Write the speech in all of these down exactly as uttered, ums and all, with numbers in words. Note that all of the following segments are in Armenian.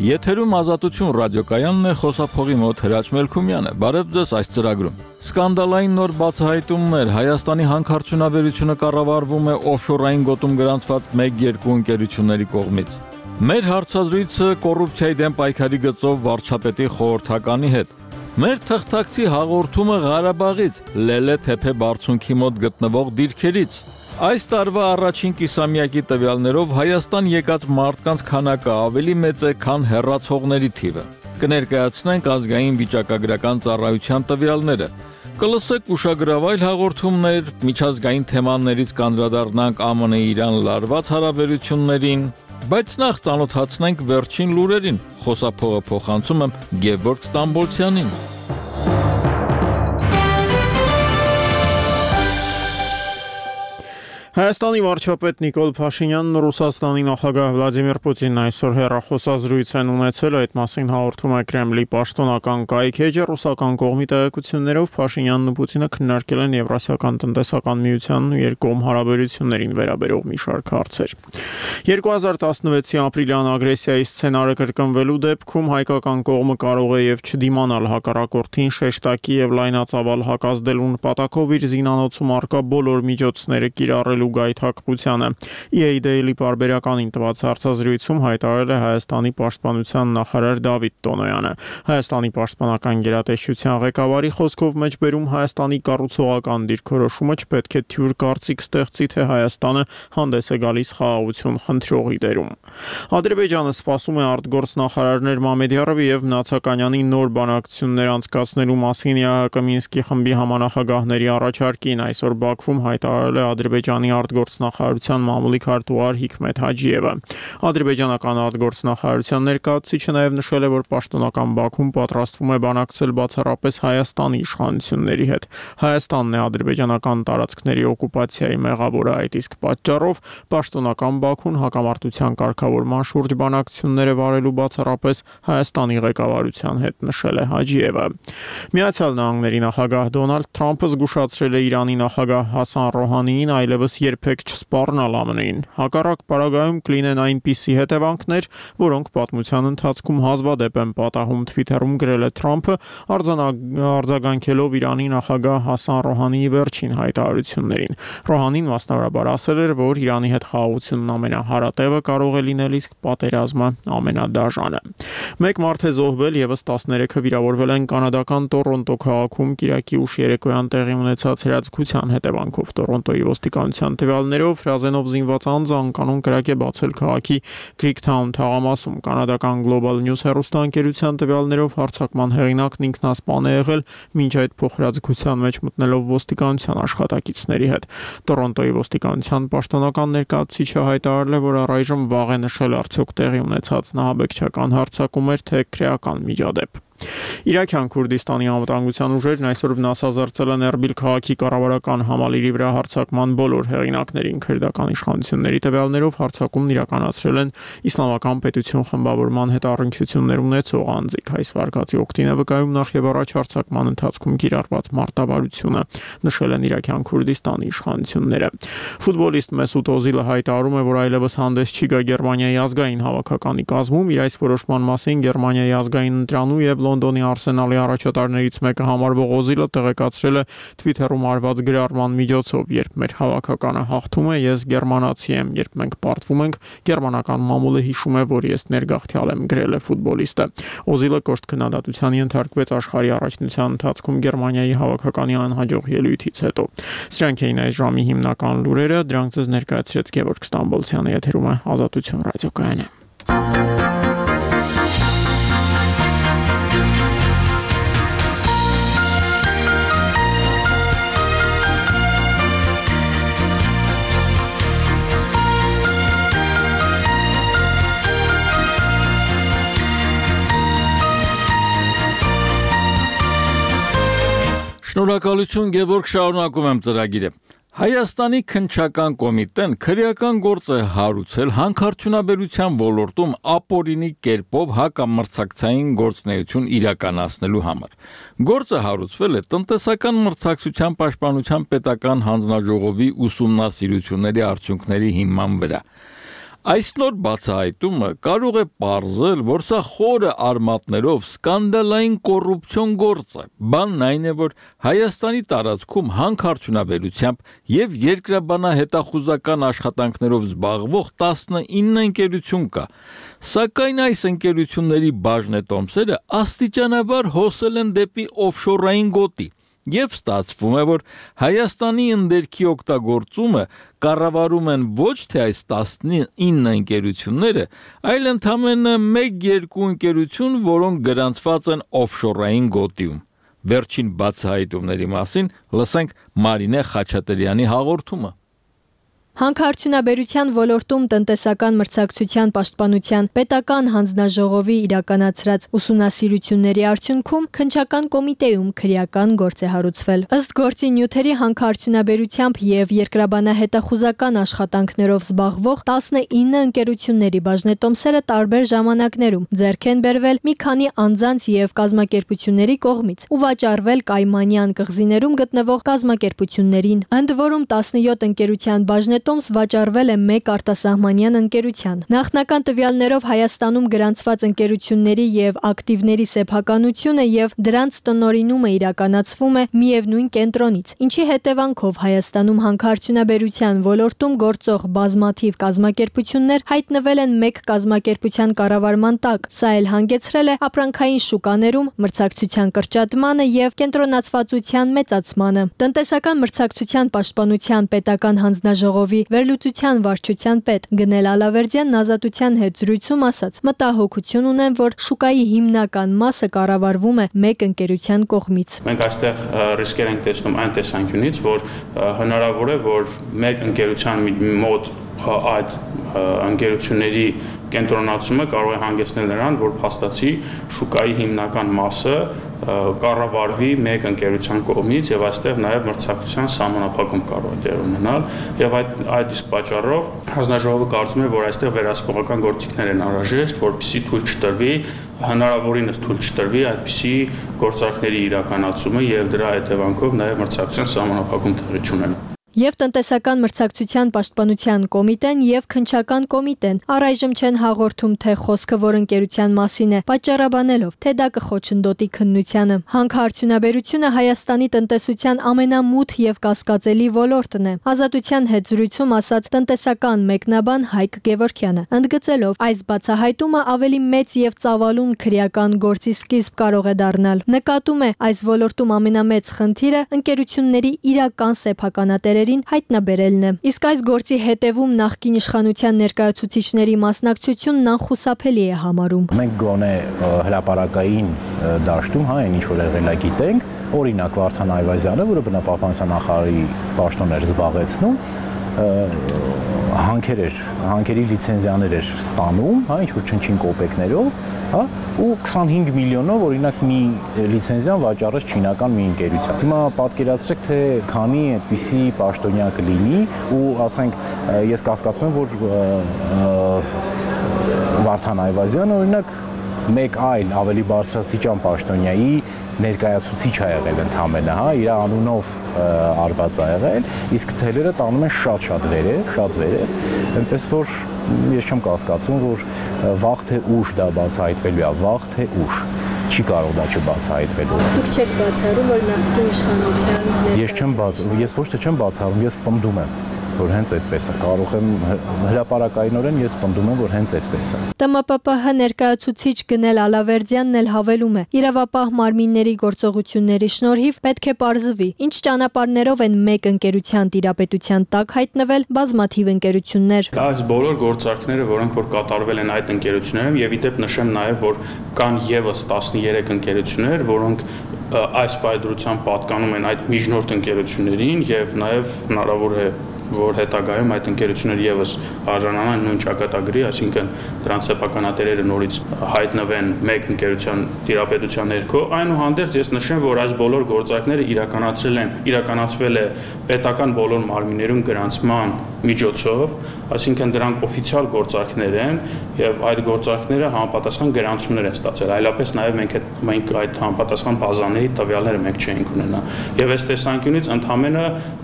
Եթերում Ազատություն ռադիոկայանն է, խոսափողի մոտ Հրաչ Մելքումյանը։ Բարև ձեզ այս ծրագրում։ Սկանդալային նոր բացահայտումներ, Հայաստանի հանքարդյունաբերությունը կառավարվում է օֆշորային գոտում գրանցված մեկ երկու ընկերությունների կողմից։ Մեր հարցազրույցը կոռուպցիայի դեմ պայքարի գծով վարչապետի խորհրդականի հետ։ Մեր թղթակցի հաղորդումը Ղարաբաղից, Լելե թեփե բարձունքի մոտ գտնվող դիրքերից։ Այս տարվա առաջին կիսամյակի տվյալներով Հայաստան եկած մարդկանց քանակը ավելի մեծ է, քան հեռացողների թիվը։ Կներկայացնենք ազգային վիճակագրական ծառայության տվյալները։ Կլսեք ուշագրավայր հաղորդումներ, միջազգային թեմաներից կանդրադառնանք ԱՄՆ Իրան լարված հարաբերություններին, բայց նախ ծանոթացնենք վերջին լուրերին։ Խոսափողը փոխանցում եմ Գևորգ Ստամբոլցյանին։ Հայաստանի վարչապետ Նիկոլ Փաշինյանն ու Ռուսաստանի նախագահ Վլադիմիր Պուտինն այսօր հեռախոսազրույց են ունեցել, այդ մասին հաղորդում է Կրեմլի պաշտոնական կայքէջը։ Ռուսական կողմի տեղեկություններով Փաշինյանն ու Պուտինը քննարկել են Եվրասիական տնտեսական միությանն ու երկկողմ հարաբերություններին վերաբերող մի շարք հարցեր։ երկու հազար տասնվեցի ապրիլյան ագրեսիայի սցենարը կրկնվելու դեպքում հայկական կողմը կարող է եւ չդիմանալ հակառակորդին շեշտակի եւ լայնածավալ հակազդելու նպատակով իր զինանոցում առկա բոլոր միջոցները կիրառելու գայթակղությանը։ E A Daily պարբերականին տված հարցազրույցում հայտարարել է Հայաստանի պաշտպանության նախարար Դավիթ Տոնոյանը։ Հայաստանի պաշտպանական գերատեսչության ղեկավարի խոսքով մեջբերում Հայաստանի կառուցողական դիրքորոշումը չպետք է թյուր կարծիք ստեղծի, թե Հայաստանը հանդես է գալիս խաղաղություն խնդրողի դերում։ Ադրբեջանը սպասում է արտգործնախարարներ Մամեդյարովի եւ Նացականյանի նոր բանակցություններ անցկացնելու մասին E A H K Մինսկի խմբի համանախագահների առաջարկին այսօր Բաքվում հայտարարել է Ադրբեջանի արտգործնախարարության մամուլի քարտուղար Հիկմեթ Հաջիևը։ Ադրբեջանական արտգործնախարարության ներկայացուցիչը նաև նշել է, որ պաշտոնական Բաքուն պատրաստվում է բանակցել բացառապես Հայաստանի իշխանությունների հետ։ Հայաստանն է ադրբեջանական տարածքների օկուպացիայի մեղավորը, այդ իսկ պատճառով պաշտոնական Բաքուն հակամարտության կարգավորման շուրջ բանակցություններ է վարելու բացառապես Հայաստանի ղեկավարության հետ, նշել է Հաջիևը։ Միացյալ Նահանգների նախագահ Դոնալդ Թրամփը զգուշացրել է Իրանի նախագահ Հասան Ռոհանիին այլևս երբեք չսպառնալ Ամն Ինին։ Հակառակ պարագայում կլինեն այնպիսի հետևանքներ, որոնք պատմության ընթացքում հազվադեպ են պատահում, Twitter-ում գրել է Թրամփը, արձագանքելով Իրանի նախագահ Հասան Ռոհանիի վերջին հայտարարություններին։ Ռոհանին մասնավորաբար ասել էր, որ Իրանի հետ խաղաղությունն ամենահարատևը կարող է լինել, իսկ պատերազմը ամենադաժանը։ Մեկ մարդ է զոհվել, եւս տասներեքը վիրավորվել են կանադական Տորոնտո քաղաքում կիրակի ուշ երեկոյան տեղի ունեցած հրաձգության հետևանքով։ Տորոնտոյի ոստիկանության տվյալներով հրազենով զինված անձը անկանոն կրակ է բացել քաղաքի Քրիքթաուն թաղամասում։ Կանադական Global News հեռուստաընկերության տվյալներով հարձակման հեղինակն ինքնասպան է եղել, մինչ այդ փոխհրաձգության մեջ մտնելով ոստիկանության աշխատակիցների հետ։ Տորոնտոյի ոստիկանության պաշտոնական ներկայացուցիչը հայտարարել է, որ առայժմ վաղ է նշել արդյոք տեղի ունեցած նահաբեկչական հարձակում էր, թե քրեական միջադեպ։ Իրաքյան Քուրդիստանի անվտանգության ուժերն այսօր վնասազերծել են Էրբիլ քաղաքի կառավարական համալիրի վրա հարձակման բոլոր հեղինակներին։ Քրդական իշխանությունների տվյալներով հարձակումն իրականացրել են Իսլամական պետություն խմբավորման հետ առնչություններ ունեցող անձիկ։ Այս վարկածի օգտին է վկայում նախ եւ առաջ հարձակման ընթացքում կիրառված մարտավարությունը, նշել են Իրաքյան Քուրդիստանի իշխանությունները։ Ֆուտբոլիստ Մեսուտ Օզիլը հայտարարում է, որ այլևս հանդես չի գա Գերմանիայի ազգային հավաքականի կազմում։ Իր այս որոշման մասին Գերմանիայի ազգային ընտրանու եւ Լոնդոնի Արսենալի առաջատարներից մեկը համարվող Օզիլը տեղեկացրել է Twitter-ում արված գրառման միջոցով. «Երբ մեր հավաքականը հաղթում է, ես գերմանացի եմ, երբ մենք պարտվում ենք, գերմանական մամուլը հիշում է, որ ես ներգաղթյալ եմ», գրել է ֆուտբոլիստը։ Օզիլը կոշտ քննադատության ենթարկվեց աշխարհի առաջնության ընթացքում Գերմանիայի հավաքականի անհաջող ելույթից հետո։ Սրանք էին այս ժամի հիմնական լուրերը, դրանք ձեզ ներկայացրեց Գևորգ Ստամբոլցյանը, եթերում է Ազատություն ռադիոկայանը։ Շնորհակալություն Գևորգ, շարունակում եմ ծրագիրը։ Հայաստանի քննչական կոմիտեն քրեական գործ է հարուցել հանքարդյունաբերության ոլորտում ապօրինի կերպով հակամրցակցային գործունեություն իրականացնելու համար։ Գործը հարուցվել է տնտեսական մրցակցության պաշտպանության պետական հանձնաժողովի ուսումնասիրությունների արդյունքների հիման վրա։ Այս նոր բացահայտումը կարող է պարզել, որ սա խորը արմատներով սկանդալային կոռուպցիոն գործ է։ Բանն այն է, որ Հայաստանի տարածքում հանքարդյունաբերությամբ եւ երկրաբանահետախուզական աշխատանքներով զբաղվող տասնինը ընկերություն կա, սակայն այս ընկերությունների բաժնետոմսերը աստիճանաբար հոսել են դեպի օֆշորային գոտի։ Եվ ստացվում է, որ Հայաստանի ընդերքի օգտագործումը կառավարում են ոչ թե այս տասնինը ընկերությունները, այլ ընդամենը մեկ-երկու ընկերություն, որոնք գրանցված են օֆշորային գոտիում։ Վերջին բացահայտումների մասին լսենք Մարինե Խաչատրյանի հաղորդումը։ Հանքարդյունաբերության ոլորտում տնտեսական մրցակցության պաշտպանության պետական հանձնաժողովի իրականացրած ուսումնասիրությունների արդյունքում քննչական կոմիտեում քրեական գործ է հարուցվել։ Ըստ գործի նյութերի հանքարդյունաբերությամբ եւ երկրաբանահետախուզական աշխատանքներով զբաղվող տասնինը ընկերությունների բաժնետոմսերը տարբեր ժամանակներում ձեռք են բերվել մի քանի անձանց եւ կազմակերպությունների կողմից ու վաճառվել Կայմանյան կղզիներում գտնվող կազմակերպություններին, ընդ որում տասնյոթ ընկերության բաժնետոմս տոմս վաճառվել է մեկ արտասահմանյան ընկերության։ Նախնական տվյալներով Հայաստանում գրանցված ընկերությունների եւ ակտիվների սեփականությունը եւ դրանց տնօրինումը իրականացվում է միևնույն կենտրոնից, ինչի հետևանքով Հայաստանում հանքարդյունաբերության ոլորտում գործող բազմաթիվ կազմակերպություններ հայտնվել են մեկ կազմակերպության կառավարման տակ։ Սա էլ հանգեցրել է ապրանքային շուկաներում մրցակցության կրճատմանը եւ կենտրոնացվածության մեծացմանը։ Տնտեսական մրցակցության պաշտպանության պետական հանձնաժողովի վերլուծության վարչության պետ Գնել Ալավերդյանն Ազատության հետ զրույցում ասաց. մտահոգություն ունեմ, որ շուկայի հիմնական մասը կառավարվում է մեկ ընկերության կողմից։ Մենք այստեղ ռիսկեր ենք տեսնում այն տեսանկյունից, որ հնարավոր է, որ մեկ ընկերության մոտ այդ ընկերությունների կենտրոնացումը կարող է հանգեցնել նրան, որ փաստացի շուկայի հիմնական մասը կառավարվի մեկ ընկերության կողմից եւ այստեղ նաեւ մրցակցության սահմանափակում կարող է դեր ունենալ եւ այդ այդ իսկ պատճառով հանձնաժողովը կարծում է, որ այստեղ վերահսկողական գործիքներ են անհրաժեշտ, որպեսզի թույլ չտրվի, հնարավորինս թույլ չտրվի այդպիսի գործարքների իրականացումը եւ դրա հետևանքով նաեւ մրցակցության սահմանափակում տեղի չունենա։ Եվ տնտեսական մրցակցության պաշտպանության կոմիտեն եւ քննչական կոմիտեն առայժմ չեն հաղորդում, թե խոսքը որ ընկերության մասին է, պատճառաբանելով, թե դա կխոչընդոտի քննությանը։ Հանքարդյունաբերությունը Հայաստանի տնտեսության ամենամութ եւ կասկածելի ոլորտն է։ Ազատության հետ զրույցում ասաց տնտեսական մեկնաբան Հայկ Գևորգյանը, ընդգծելով, այս բացահայտումը ավելի մեծ եւ ծավալուն քրեական գործի սկիզբ կարող է դառնալ։ Նկատում է, այս ոլորտում ամենամեծ խնդիրը ընկերությունների իրական սեփականատերերի հայտնաբերելն է։ Իսկ այս գործի հետևում նախկին իշխանության ներկայացուցիչների մասնակցությունն անխուսափելի է համարում։ Մենք գոնե հրապարակային դաշտում, հա, այն ինչ որ եղել է գիտենք, օրինակ Վարդան Այվազյանը, որը բնապահպանության նախարարի պաշտոն էր զբաղեցնում, հանքեր էր, հանքերի լիցենզիաներ էր ստանում, հա, ինչ որ չնչին կոպեկներով, հա, ու քսանհինգ միլիոնով օրինակ մի լիցենզիան վաճառեց չինական մի ընկերության։ Հիմա պատկերացրեք, թե քանի այդպիսի պաշտոնյա կլինի ու ասենք ես կասկածում եմ, որ Վարդան Այվազյանը օրինակ մեկ այլ ավելի բարձրաստիճան պաշտոնյայի ներկայացուցիչ ա եղել ընդհանրապես, հա, իր անունով արված ա եղել, իսկ թելերը տանում են շատ-շատ վերև, շատ վերև, այնպես որ ես չեմ կասկածում, որ վաղ թե ուշ դա բացահայտվելու է, վաղ թե ուշ չի կարող դա չբացահայտվելու։ Դուք չեք բացառում, որ նախկին իշխանության Ես չեմ բաց, ես ոչ թե չեմ բացառում, ես պնդում եմ, որ հենց այդպես է, կարող եմ հրապարակայինորեն ես պնդում եմ, որ հենց այդպես է։ Տ M P P H ներկայացուցիչ Գնել Ալավերդյանն էլ հավելում է. իրավապահ մարմինների գործողությունների շնորհիվ պետք է պարզվի, ինչ ճանապարհներով են մեկ ընկերության տիրապետության տակ հայտնվել բազմաթիվ ընկերություններ։ Այս բոլոր գործարքները, որոնք որ կատարվել են այդ ընկերություններում, եւ իդեպ նշեմ նաեւ, որ կան եւս տասներեք ընկերություններ, որոնք այս պայծրությամբ պատկանում են այդ միջնորդ ընկերություններին եւ նաեւ հնարավոր է որ հետագայում այդ ընկերությունները եւս արժանանան նույն ճակատագրի, այսինքն դրանց սեփականատերերը նորից հայտնվեն մեկ ընկերության տիրապետության ներքո, այնուհանդերձ ես նշեմ, որ այս բոլոր գործարքները իրականացրել են, իրականացվել է պետական բոլոր մարմիններում գրանցման միջոցով, այսինքն դրանք օֆիցիալ գործարքներ են եւ այդ գործարքները համապատասխան գրանցումներ են ստացել, այլապես նաեւ մենք այդ մենք այդ համապատասխան բազաների տվյալները մենք չենք ունենա։ Եվ այս տեսանկյունից ընդհանրապես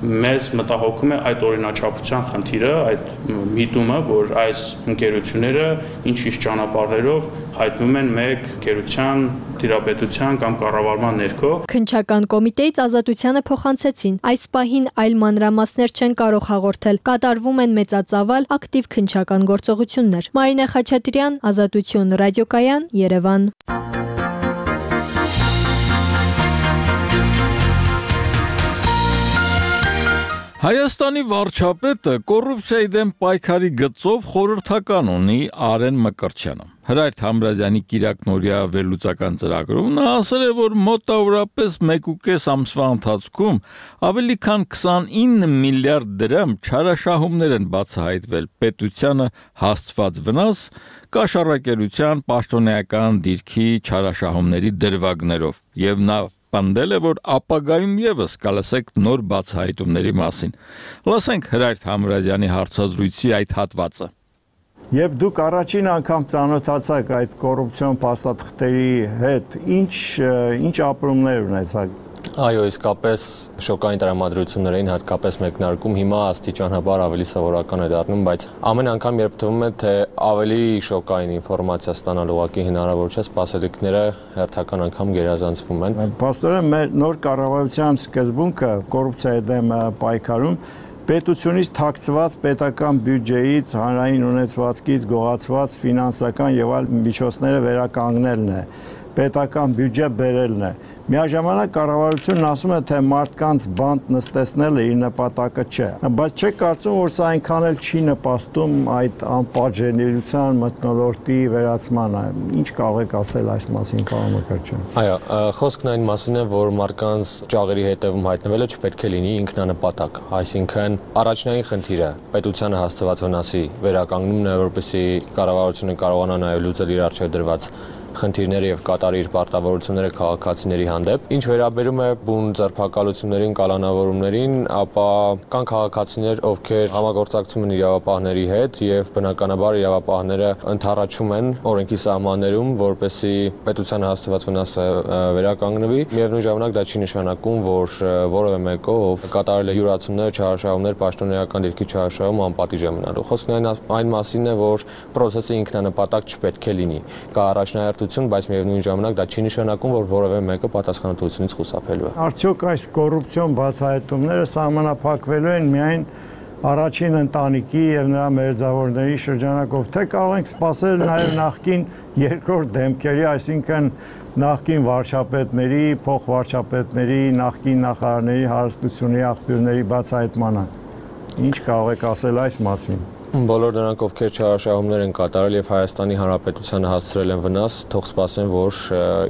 մեզ մտահոգում է այդ օրինաչափության խնդիրը, այդ միտումը, որ այս ընկերությունները ինչ-ինչ ճանապարհներով հայտնվում են մեկ ընկերության դիրապետության կամ կառավարման ներքո։ Քննչական կոմիտեից Ազատությանը փոխանցեցին. այս պահին այլ մանրամասներ չեն կարող հաղորդել։ Կատարվում են մեծածավալ ակտիվ քննչական գործողություններ։ Մարինե Խաչատրյան, Ազատություն ռադիոկայան, Երևան։ Հայաստանի վարչապետը կոռուպցիայի դեմ պայքարի գծով խորհրդական ունի Արեն Մկրտչյանը։ Հրայր Թամրազյանի կիրակնօրյա վերլուծական ծրագրում նա ասել է, որ մոտավորապես մեկ ու կես ամսվա ընթացքում ավելի քան քսանինը միլիարդ դրամ չարաշահումներ են բացահայտվել պետությանը հասցված վնաս կաշառակերության պաշտոնեական դիրքի չարաշահումների դրվագներով եւ նա պնդել է, որ ապագայում եւս կլսեք նոր բացահայտումների մասին։ Լսենք Հրայր Թամրազյանի հարցազրույցի այդ հատվածը։ Եվ դուք առաջին անգամ ծանոթացաք այդ կոռուպցիոն փաստաթղթերի հետ, ինչ ինչ ապրումներ ունեցաք։ Այո, իսկապես շոկային տրամադրություններ էին, հատկապես մեկնարկում, հիմա աստիճանաբար ավելի սովորական է դառնում, բայց ամեն անգամ երբ թվում է, թե ավելի շոկային ինֆորմացիա ստանալ ուղղակի հնարավոր չէ, սպասելիքները հերթական անգամ գերազանցվում են։ Պաստորեն մեր նոր կառավարության սկզբունքը կոռուպցիայի դեմ պայքարում պետությունից թաքցված պետական բյուջեից, հանրային ունեցվածքից գողացված ֆինանսական եւ այլ միջոցները վերականգնելն է, պետական բյուջե բերելն է։ Միաժամանակ կառավարությունն ասում է, թե մարդկանց բանտ նստեցնելը իր նպատակը չէ, բայց չեք կարծում, որ սա այնքան էլ չի նպաստում այդ անպատժելիության մթնոլորտի վերացմանը։ Ինչ կարող եք ասել այս մասին, պարոն Մկրտչյան։ Այո, խոսքն այն մասին է, որ մարդկանց ճաղերի հետևում հայտնվելը չպետք է լինի ինքնանպատակ, այսինքն առաջնային խնդիրը պետությանը հասցված վնասի վերականգնումն է, որպեսզի կառավարությունը կարողանա նաև լուծել իր առջև դրված խնդիրները եւ կատարի իր պարտավորությունները քաղաքացիների հանդեպ։ Ինչ վերաբերում է բուն ձերբակալություններին, կալանավորումներին, ապա կան քաղաքացիներ, ովքեր համագործակցում են իրավապահների հետ եւ բնականաբար իրավապահները ընդառաջում են օրենքի սահմաններում, որպեսզի պետության հասցված վնասը վերականգնվի։ Միևնույն ժամանակ դա չի նշանակում, որ որևէ մեկը, ով կատարել է յուրացումներ, չարաշահումներ, պաշտոնեական դիրքի չարաշահում անպատիժ է մնալու։ Խոսքն այն այն մասին է, որ process-ը ինքնանպատակ չպետք է լինի։ Կա առաջնահերթ բայց միևնույն ժամանակ դա չի նշանակում, որ որևէ մեկը պատասխանատվությունից խուսափելու է։ Արդյոք այս կոռուպցիոն բացահայտումները սահմանափակվելու են միայն առաջին ընտանիքի եւ նրա մերձավորների շրջանակով, թե կարող ենք սպասել նաեւ նախկին երկրորդ դեմքերի, այսինքն նախկին վարչապետների, փոխվարչապետների, նախկին նախարարների հարստությունների աղբյուրների բացահայտմանը։ Ինչ կարող եք ասել այս մասին։ Բոլոր նրանք, ովքեր չարաշահումներ են կատարել եւ Հայաստանի Հանրապետությանը հասցրել են վնաս, թող սպասեն, որ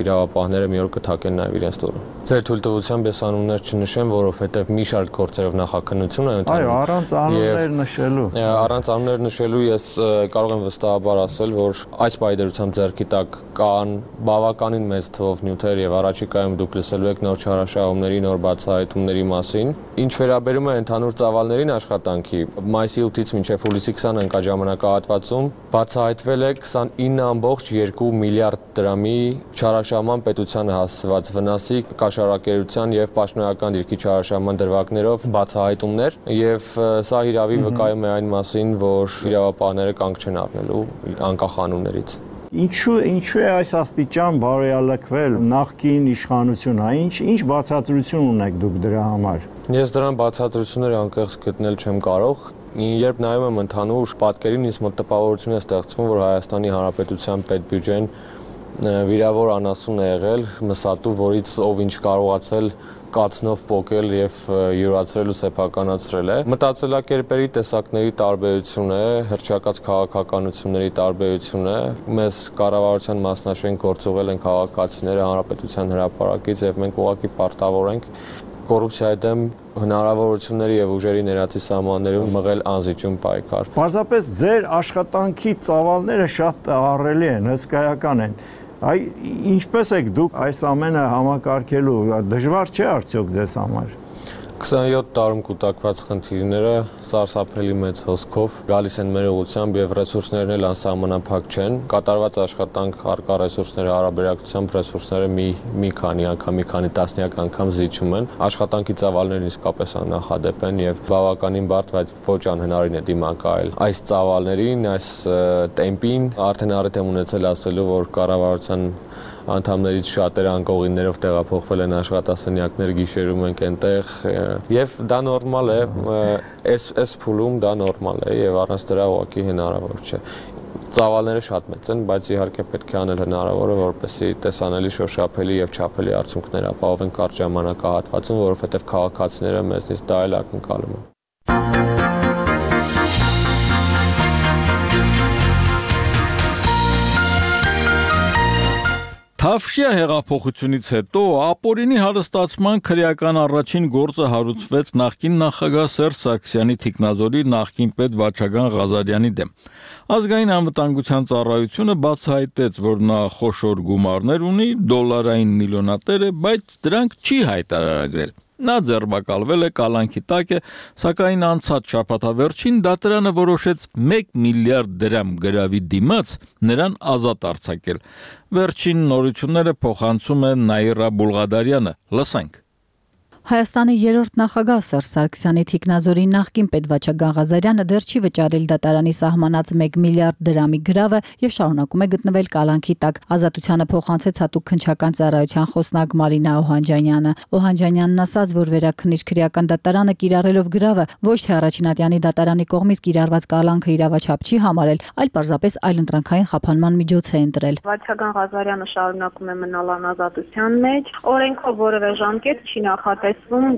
իրավապահները մի օր կթակեն նաեւ իրենց դուրը։ Ձեր թույլտվությամբ ես անուններ չնշեմ, որովհետեւ մի շարք գործերով նախաքննություն է ընթանում։ Այո, առանց անուններ նշելու։ Առանց անուններ նշելու ես կարող եմ վստահաբար ասել, որ այս պայդերությամբ ձեռքի տակ կան բավականին մեծ թվով նյութեր եւ առաջիկայում դուք լսելու եք նոր չարաշահումների, նոր բացահայտումների մասին։ Ինչ վերաբերում է ընդհանուր ծավալներին աշխատանքի, մայիսի ութից մինչեւ հուլիսի քսանը ընկա ժամանակահատվածում բացահայտվել է քսանինը ամբողջ երկու միլիարդ դրամի չարաշահման պետությանը հասցված վնասի կաշառակերության եւ պաշտոնեական դիրքի չարաշահման դրվագներով բացահայտումներ եւ սա հիրավի վկայում է այն մասին, որ իրավապահները կանգ չեն առնելու անկախ անուններից։ Ինչու ինչու է այս աստիճան բարոյալքվել նախկին իշխանությունը, ինչ ինչ բացատրություն ունեք դուք դրա համար։ Ես դրան բացատրություններ անկեղծ գտնել չեմ կարող։ Երբ նայում եմ ընդհանուր պատկերին, ինձ մոտ տպավորություն է ստեղծվում, որ Հայաստանի Հանրապետության պետբյուջեն վիրավոր անասուն է եղել, մսատու, որից ով ինչ կարողացել կացնով պոկել եւ յուրացրել ու սեփականացրել է։ Մտածելակերպերի տեսակների տարբերություն է, հռչակած քաղաքականությունների տարբերություն է։ Մեզ կառավարության մասնաշենք գործողել են քաղաքացիները հանրապետության հրապարակից եւ մենք ուղղակի պարտավոր ենք կոռուպցիայի դեմ հնարավորությունների եւ ուժերի ներածի սահմաններում մղել անզիջում պայքար։ Պարզապես ձեր աշխատանքի ծավալները շատ ահռելի են, հսկայական են։ Այ ինչպես եք դուք այս ամենը համակարգելու, դժվար չէ արդյոք ձեզ համար։ քսաներորդ դարում կուտակված խնդիրները սարսափելի մեծ հոսքով գալիս են մեր ուղղությամբ եւ ռեսուրսներն էլ անսահմանափակ չեն։ Կատարված աշխատանք առկա ռեսուրսների հարաբերակցությամբ ռեսուրսները մի մի քանի անգամ, մի քանի տասնյակ անգամ զիջում են։ Աշխատանքի ծավալներն իսկապես աննախադեպ են եւ բավականին բարդ, բայց ոչ անհնարին է դիմակայել այս ծավալներին, այս տեմպին։ Արդեն առիթ եմ ունեցել ասելու, որ կառավարության անդամներից շատերը անկողիններով տեղափոխվել են աշխատասենյակներ, գիշերում ենք այնտեղ եւ դա նորմալ է, այս այս փուլում դա նորմալ է եւ առանց դրա ուղղակի հնարավոր չէ։ Ծավալները շատ մեծ են, բայց իհարկե պետք է անել հնարավորը, որպեսզի տեսանելի, շոշափելի եւ չափելի արդյունքներ ապահովեն կարճ ժամանակահատվածում, որովհետեւ քաղաքացիները մեզնից դա էլ ակնկալում են։ Թավշյա հեղափոխությունից հետո ապօրինի հարստացման քրեական առաջին գործը հարուցվեց նախկին նախագահ Սերժ Սարգսյանի թիկնազորի նախկին պետ Վաչագան Ղազարյանի դեմ։ Ազգային անվտանգության ծառայությունը բացահայտեց, որ նա խոշոր գումարներ ունի, դոլարային միլիոնատեր է, բայց դրանք չի հայտարարագրել։ Նա ձերբակալվել է, կալանքի տակ է, սակայն անցած շաբաթավերջին դատարանը որոշեց մեկ միլիարդ դրամ գրավի դիմաց նրան ազատ արձակել։ Վերջին նորությունները փոխանցում է Նաիրա Բուլղադարյանը։ Լսենք։ Հայաստանի երրորդ նախագահ Սերժ Սարգսյանի թիկնազորի նախկին պետ Վաչագան Ղազարյանը դեռ չի վճարել դատարանի սահմանած մեկ միլիարդ դրամի գրավը եւ շարունակում է գտնվել կալանքի տակ։ Ազատությանը փոխանցեց հատուկ քննչական ծառայության խոսնակ Մարինա Օհանջանյանը։ Օհանջանյանն ասաց, որ վերաքննիչ քրեական դատարանը կիրառելով գրավը ոչ թե առաջինատյանի դատարանի կողմից կիրառված կալանքը իրավաչափ չի համարել, այլ պարզապես այլընտրանքային խափանման միջոց է ընտրել։ Վաչագան Ղազարյանը շարունակում է մնալ անազատության մեջ, օրենքով որևէ ժամկետ չի նախատեսվում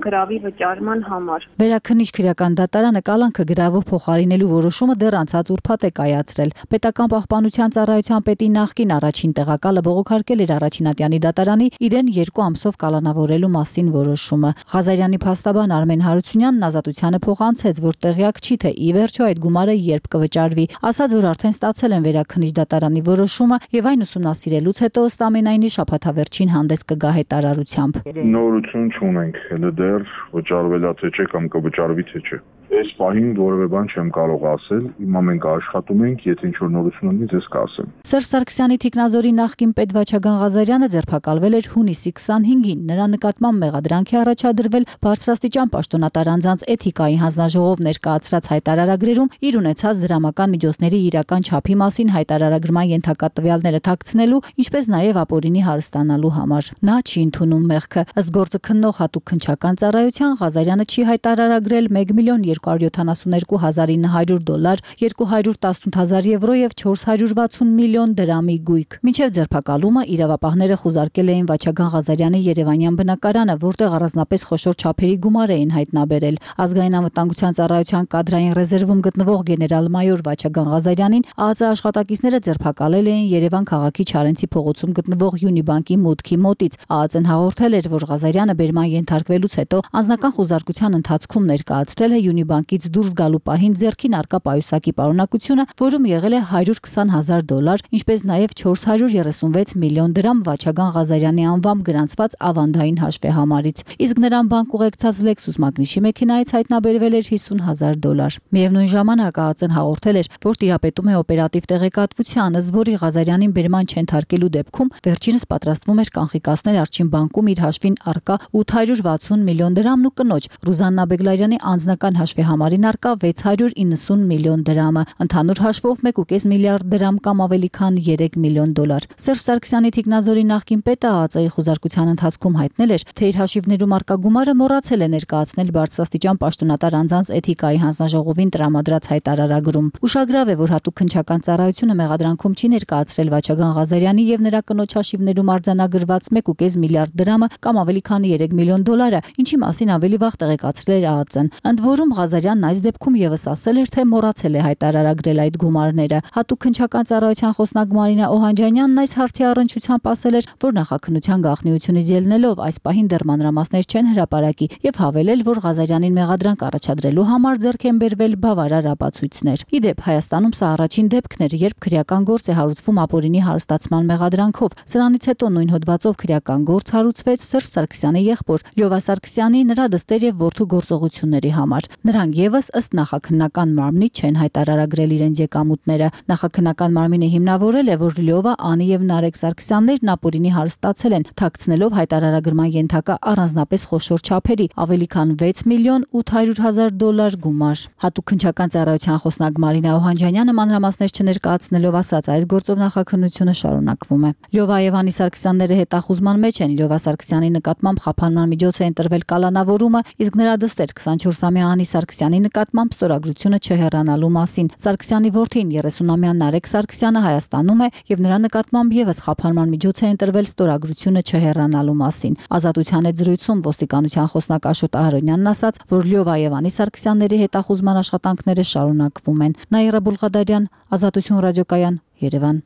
գրավի վճարման համար։ Վերաքննիչ քրեական դատարանը կալանքը գրավով փոխարինելու որոշումը դեռ անցած ուրբաթ է կայացրել։ Պետական պահպանության ծառայության պետի նախկին առաջին տեղակալը բողոքարկել էր առաջինատյանի դատարանի իրեն երկու ամսով կալանավորելու մասին որոշումը։ Ղազարյանի փաստաբան Արմեն Հարությունյանն ազատությանը փոխանցեց, որ տեղյակ չի, թե ի վերջո այդ գումարը երբ կվճարվի, ասաց, որ արդեն ստացել են վերաքննիչ դատարանի որոշումը եւ այն ուսումնասիրելուց հետո ըստ ամենայնի շաբաթավերջին հանդես կգա հայտարարությամբ։ Նորություն չունենք, հենց դեռ վճարվելա թե չէ կամ կվճարվի թե չէ։ Այս պահին որևէ բան չեմ կարող ասել, հիմա մենք աշխատում ենք, եթե ինչ-որ նորություն ունի, ձեզ կասեմ։ Սերժ Սարգսյանի թիկնազորի նախկին պետ Վաչագան Ղազարյանը ձերբակալվել էր հունիսի քսանհինգին։ Նրա նկատմամբ մեղադրանք է առաջադրվել բարձրաստիճան պաշտոնատար անձանց էթիկայի հանձնաժողով ներկայացրած հայտարարագրերում իր ունեցած դրամական միջոցների իրական չափի մասին հայտարարագրման ենթակա տվյալները թաքցնելու, ինչպես նաև ապօրինի հարստանալու համար։ Նա չի ընդունում մեղքը։ Ըստ գործը քննող հատուկ քննչական ծառայության Ղազարյանը չի հայտարարագրել մեկ միլիոն երկու հարյուր յոթանասունյոթ հազար ինը հարյուր դոլար, երկու հարյուր տասնութ հազար եվրո եւ չորս հարյուր վաթսուն միլիոն դրամի գույք։ Մինչև ձերբակալումը իրավապահները խուզարկել էին Վաչագան Ղազարյանի երևանյան բնակարանը, որտեղ առանձնապես խոշոր չափերի գումար էին հայտնաբերել։ Ազգային անվտանգության ծառայության կադրային ռեզերվում գտնվող գեներալ-մայոր Վաչագան Ղազարյանին ԱԱԾ աշխատակիցները ձերբակալել էին Երևան քաղաքի Չարենցի փողոցում գտնվող Յունիբանկի մուտքի մոտից։ ԱԱԾ-ն հաղորդել էր, որ Ղազարյանը բերման ենթարկվելուց հետո անձնական խուզարկության ընթացքում ներկայացրել է Յունիբանկից դուրս գալու պահին ձեռքին առկա պայուսակի պարունակությունը, որում եղել է հարյուր քսան հազար դոլար, ինչպես նաև չորս հարյուր երեսունվեց միլիոն դրամ Վաչագան Ղազարյանի անվամբ գրանցված ավանդային հաշվեհամարից, իսկ նրան բանկ ուղեկցած Lexus Magnus-ի մեքենայից հայտնաբերվել էր հիսուն հազար դոլար։ Միևնույն ժամանակ ԱԱԾ-ն հաղորդել էր, որ տիրապետում է օպերատիվ տեղեկատվության, ըստ որի Ղազարյանին բերման չենթարկելու դեպքում վերջինս պատրաստվում էր կանխիկացնել Արջին բանկում իր հաշվին առկա ութ հարյուր վաթսուն միլիոն դրամն ու կնոջ Ռուզաննա Բեգլարյանի անձնական հաշվեհամարին առկա վեց հարյուր իննսուն միլիոն դրամը, ընդհանուր հաշվով մեկ ու կես միլիարդ դրամ կամ ավելի քան երեք միլիոն դոլար։ Սերժ Սարգսյանի թիկնազորի նախկին պետը ԱԱԾ-ի խուզարկության ընթացքում հայտնել էր, թե իր հաշիվներում առկա գումարը մոռացել է ներկայացնել բարձրաստիճան պաշտոնատար անձանց էթիկայի հանձնաժողովին տրամադրած հայտարարագրում։ Ուշագրավ է, որ հատուկ քննչական ծառայությունը մեղադրանքում չի ներկայացրել Վաչագան Ղազարյանի եւ նրա կնոջ հաշիվներում արձանագրված մեկ ու կես միլիարդ դրամը կամ ավելի քան երեք միլիոն դոլարը, ինչի մասին ավելի վաղ տեղեկացրել էր ԱԱԾ-ն։ Ընդ որում Ղազարյանն այս դեպքում եւս ասել էր, թե մոռացել է հայտարարագրել այդ գումարները։ Հատուկ քննչական ծառայության խոսնակ Մարինա Օհանջանյանն այս հարցի առնչությամբ ասել էր, որ նախաքննության գաղտնիությունից ելնելով այս պահին դեռ մանրամասներ չեն հրապարակի եւ հավելել, որ Ղազարյանին մեղադրանք առաջադրելու համար ձեռք են բերվել բավարար ապացույցներ։ Ի դեպ, Հայաստանում սա առաջին դեպքն էր, երբ քրեական գործ է հարուցվում ապօրինի հարստացման մեղադրանքով։ Սրանից հետո նույն հոդվածով քրեական գործ հարուցվեց Սերժ Սարգսյանի եղբոր Լյովա Սարգսյանի, նրա դստեր եւ որդու գործողությունների համար։ Նրանք եւս ըստ նախաքննական մարմնի չեն հայտարարագրել իրենց եկամուտները։ Նախաքննական մարմինը հիմնավորել է, որ Լյովա, Անի եւ Նարեկ Սարգսյաններն ապօրինի հարստացել են, թաքցնելով հայտարարագրման ենթակա առանձնապես խոշոր չափերի, ավելի քան վեց միլիոն ութ հարյուր հազար դոլար գումար։ Հատուկ քննչական ծառայության խոսնակ Մարինա Օհանջանյանը մանրամասներ չներկայացնելով ասաց, այս գործով նախաքննությունը շարունակվում է։ Լյովա եւ Անի Սարգսյանները հետախուզման մեջ են։ Լյովա Սարգսյանի նկատմամբ խափանման միջոց է ընտրվել կալանավորումը, իսկ նրա դստեր քսանչորսամյա Անի Սարգսյանի նկատմամբ ստորագրությունը չհեռանալու մասին։ Սարգսյանի որդին երեսունամյա Նարեկ Սարգսյանը Հայաստանում է եւ նրա նկատմամբ եւս խափանման միջոց է ընտրվել ստորագրությունը չհեռանալու մասին։ Ազատության հետ զրույցում ոստիկանության խոսնակ Աշոտ Ահարոնյանն ասաց, որ Լյովա եւ Անի Սարգսյանների հետախուզման աշխատանքները շարունակվում են։ Նաիրա Բուլղադարյան, Ազատություն ռադիոկայան, Երևան։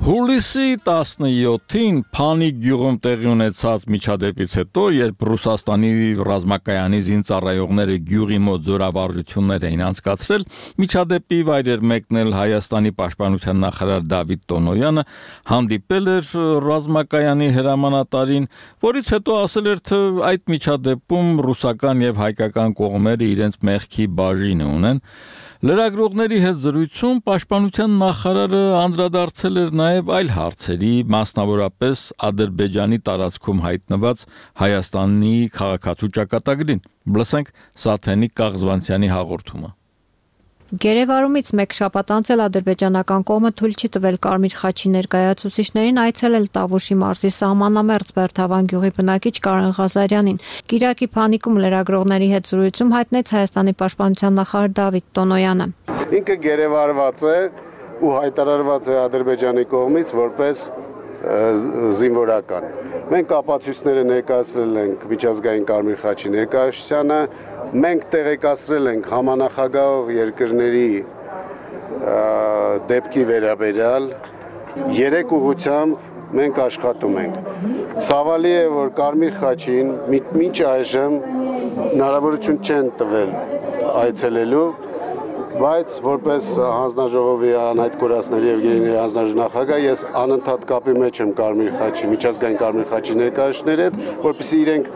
Հուլիսի տասնյոթին Փանի գյուղում տեղի ունեցած միջադեպից հետո, երբ Ռուսաստանի ռազմակայանի զինծառայողները գյուղի մոտ զորավարժություններ էին անցկացրել, միջադեպի վայր էր մեկնել Հայաստանի պաշտպանության նախարար Դավիթ Տոնոյանը, հանդիպել էր ռազմակայանի հրամանատարին, որից հետո ասել էր, թե այդ միջադեպում ռուսական եւ հայկական կողմերը իրենց մեղքի բաժինը ունեն։ Լրագրողների հետ զրույցում պաշտպանության նախարարը անդրադարձել էր նաև այլ հարցերի, մասնավորապես Ադրբեջանի տարածքում հայտնված Հայաստանի քաղաքացու ճակատագրին։ Լսենք Սաթենիկ Կաղզվանցյանի հաղորդումը։ Գերեվարումից մեկ շաբաթ անց էլ ադրբեջանական կողմը թույլ չի տվել Կարմիր խաչի ներկայացուցիչներին այցելել Տավուշի մարզի սահմանամերձ Բերդավան գյուղի բնակիչ Կարեն Ղազարյանին։ Կիրակի Փանիկում լրագրողների հետ զրույցում հայտնեց Հայաստանի պաշտպանության նախարար Դավիթ Տոնոյանը։ Ինքը գերեվարված է ու հայտարարված է Ադրբեջանի կողմից որպես զինվորական։ Մենք ապացույցները ներկայացրել ենք միջազգային Կարմիր խաչի ներկայացությանը, մենք տեղեկացրել ենք համանախագահող երկրների դեպքի վերաբերյալ, երեք ուղղությամբ մենք աշխատում ենք։ Ցավալի է, որ Կարմիր խաչին մինչ այժմ հնարավորություն չեն տվել այցելելու, բայց որպես հանձնաժողովի անհայտ կորածների եւ գերիների հանձնաժողովի նախագահ ես անընդհատ կապի մեջ եմ Կարմիր խաչի, միջազգային Կարմիր խաչի ներկայացուցիչների հետ, որպեսզի իրենք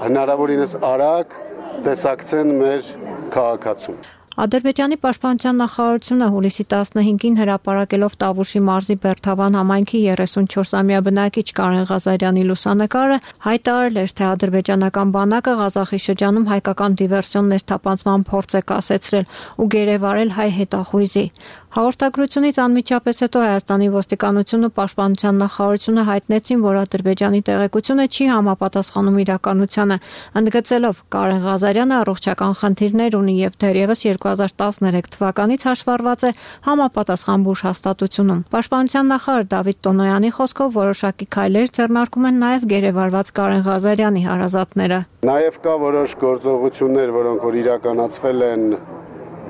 հնարավորինս արագ տեսակցեն մեր քաղաքացուն։ Ադրբեջանի պաշտպանության նախարարությունը հուլիսի տասնհինգին հրապարակելով Տավուշի մարզի Բերդավան համայնքի երեսունչորսամյա բնակիչ Կարեն Ղազարյանի լուսանկարը հայտարարել էր, թե ադրբեջանական բանակը Ղազախի շրջանում հայկական դիվերսիոն ներթափանցման փորձ է կասեցրել ու գերեվարել հայ հետախույզի։ Հաղորդագրությունից անմիջապես հետո Հայաստանի ոստիկանությունն ու պաշտպանության նախարարությունը հայտնեցին, որ Ադրբեջանի տեղեկությունը չի համապատասխանում իրականությանը, ընդգծելով Կարեն Ղազարյանը առողջական խնդիրներ ունի եւ դեռևս երկու հազար տասներեք թվականից հաշվառված է համապատասխան բուժ հաստատությունում։ Պաշտպանության նախարար Դավիթ Տոնոյանի խոսքով որոշակի քայլեր ձեռնարկում են նաև գերեվարված Կարեն Ղազարյանի հարազատները։ Նաև կա որոշ գործողություններ, որոնք որ իրականացվել են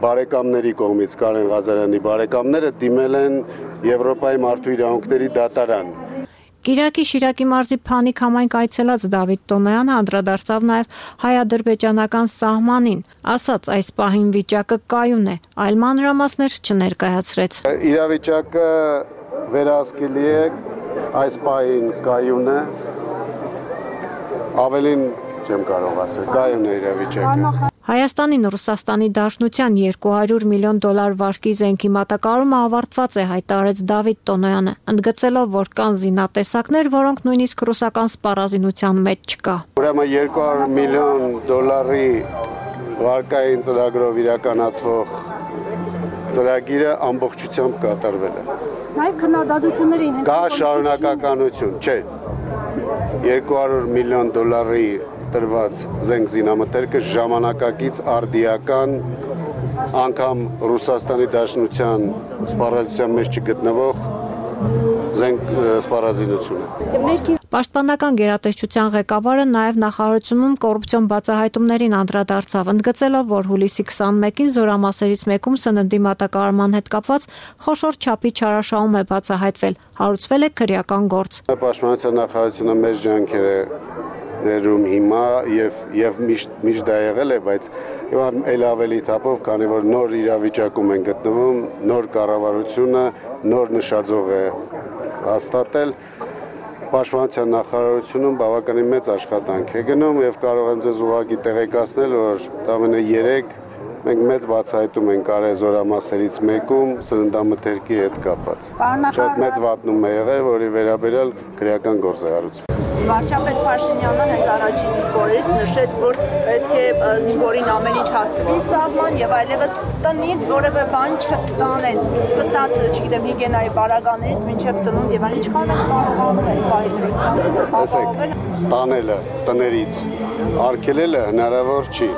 բարեկամների կողմից Կարեն Ղազարյանի բարեկամները դիմել են Եվրոպայի մարդու իրավունքների դատարան։ Կիրակի Շիրակի մարզի Փանիկ համայնք այցելած Դավիթ Տոնոյանը անդրադարձավ նաև հայ-ադրբեջանական սահմանին, ասաց այս պահին վիճակը կայուն է, այլ մանրամասներ չներկայացրեց։ Իրավիճակը վերահսկելի է, այս պահին կայուն է, ավելին չեմ կարող ասել, կայուն է իրավիճակը։ Հայաստանին Ռուսաստանի Դաշնության երկու հարյուր միլիոն դոլար վարկի զենքի մատակարարումը ավարտված է, հայտարարեց Դավիթ Տոնոյանը, ընդգծելով, որ կան զինատեսակներ, որոնք նույնիսկ ռուսական սպառազինության մեջ չկա։ Ուրեմն երկու հարյուր միլիոն դոլարի վարկային ծրագրով իրականացվող ծրագիրը ամբողջությամբ կատարվել է։ Նաև քննադատություններին կա շարունակականություն, չէ։ երկու հարյուր միլիոն դոլարի տրված զենք զինամթերքը ժամանակակից արդիական անգամ Ռուսաստանի Դաշնության սպառազինության մեջ չգտնվող զենք ունենք սպառազինությունը։ Պաշտպանական գերատեսչության ղեկավարը նաև նախարարությունում կոռուպցիոն բացահայտումներին անդրադարձավ, ընդգծելով, որ հուլիսի քսաներկին զորամասերից մեկում սննդի մատակարարման հետ կապված խոշոր չափի չարաշահում է բացահայտվել, հարուցվել է քրեական գործ։ Պաշտպանության նախարարությունը մեծ ջանքեր է ներում հիմա եւ եւ միշտ միշտ դա եղել է, բայց հիմա ել ավելի թափով, քանի որ նոր իրավիճակում են գտնվում, նոր կառավարությունը, նոր նշաձող է հաստատել, Պաշտպանության նախարարությունում բավականին մեծ աշխատանք է գնում եւ կարող եմ ձեզ ուղղակի տեղեկացնել, որ տամենը երեք մենք մեծ բացահայտում ենք արել զորամասերից մեկում սննդամթերքի հետ կապված։ Շատ մեծ վատնում է եղել, որի վերաբերյալ քրեական գործ է հարուցվել։ Վարչապետ Փաշինյանը հենց առաջին իսկ օրերից նշեց, որ պետք է զինվորին ամեն ինչ հասցվի սահման եւ այլևս տնից որևէ բան չտանեն, սկսած, չգիտեմ, հիգիենայի բարագաներից մինչեւ սնունդ եւ այլն, ինչքան է կարողանում այս պահի դրությամբ տանելը տներից արգելելը հնարավոր չի։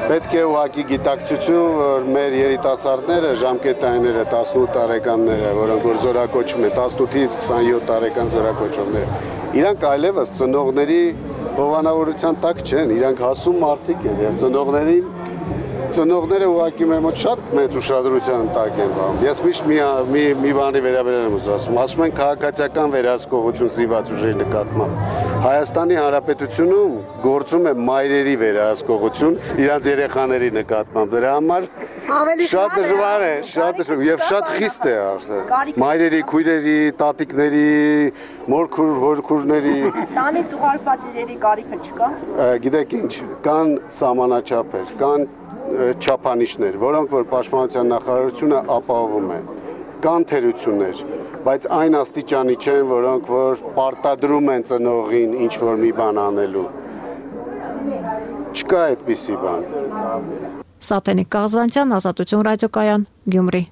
Պետք է ուղղակի գիտակցություն, որ մեր երիտասարդները, ժամկետայինները, տասնութ տարեկանները, որոնք որ զորակոչում են, տասնութից քսանյոթ տարեկան զորակոչողները, իրանք այլևս ծնողների հովանավորության տակ չեն, իրանք հասուն մարդիկ են եւ ծնողներին ծնողները ուղղակի մեր մոտ շատ մեծ ուշադրության տակ են բանում։ Ես միշտ մի մի մի բանի վերաբերել եմ ասում, ասում են քաղաքացիական վերահսկողություն զինված ուժերի նկատմամբ։ Հայաստանի Հանրապետությունում գործում է մայրերի վերահսկողություն իրանց երեխաների նկատմամբ։ Դրա համար շատ դժվար է, շատ դժվար եւ շատ խիստ է արդեն։ Մայրերի, քույրերի, տատիկների, մորքուր, հորքուրների տանից ուղարկված իրերի կարիքը չկա։ Գիտեք ինչ, կան սահմանաչափեր, կան չափանիշներ, որոնք որ Պաշտպանության նախարարությունը ապահովում է։ Կան թերություններ, բայց այն աստիճանի չեն, որոնք որ պարտադրում են ծնողին ինչ որ մի բան անելու։ Չկա այդպիսի բան։ Սատենիկ Կաղզվանցյան, Ազատություն ռադիոկայան, Գյումրի։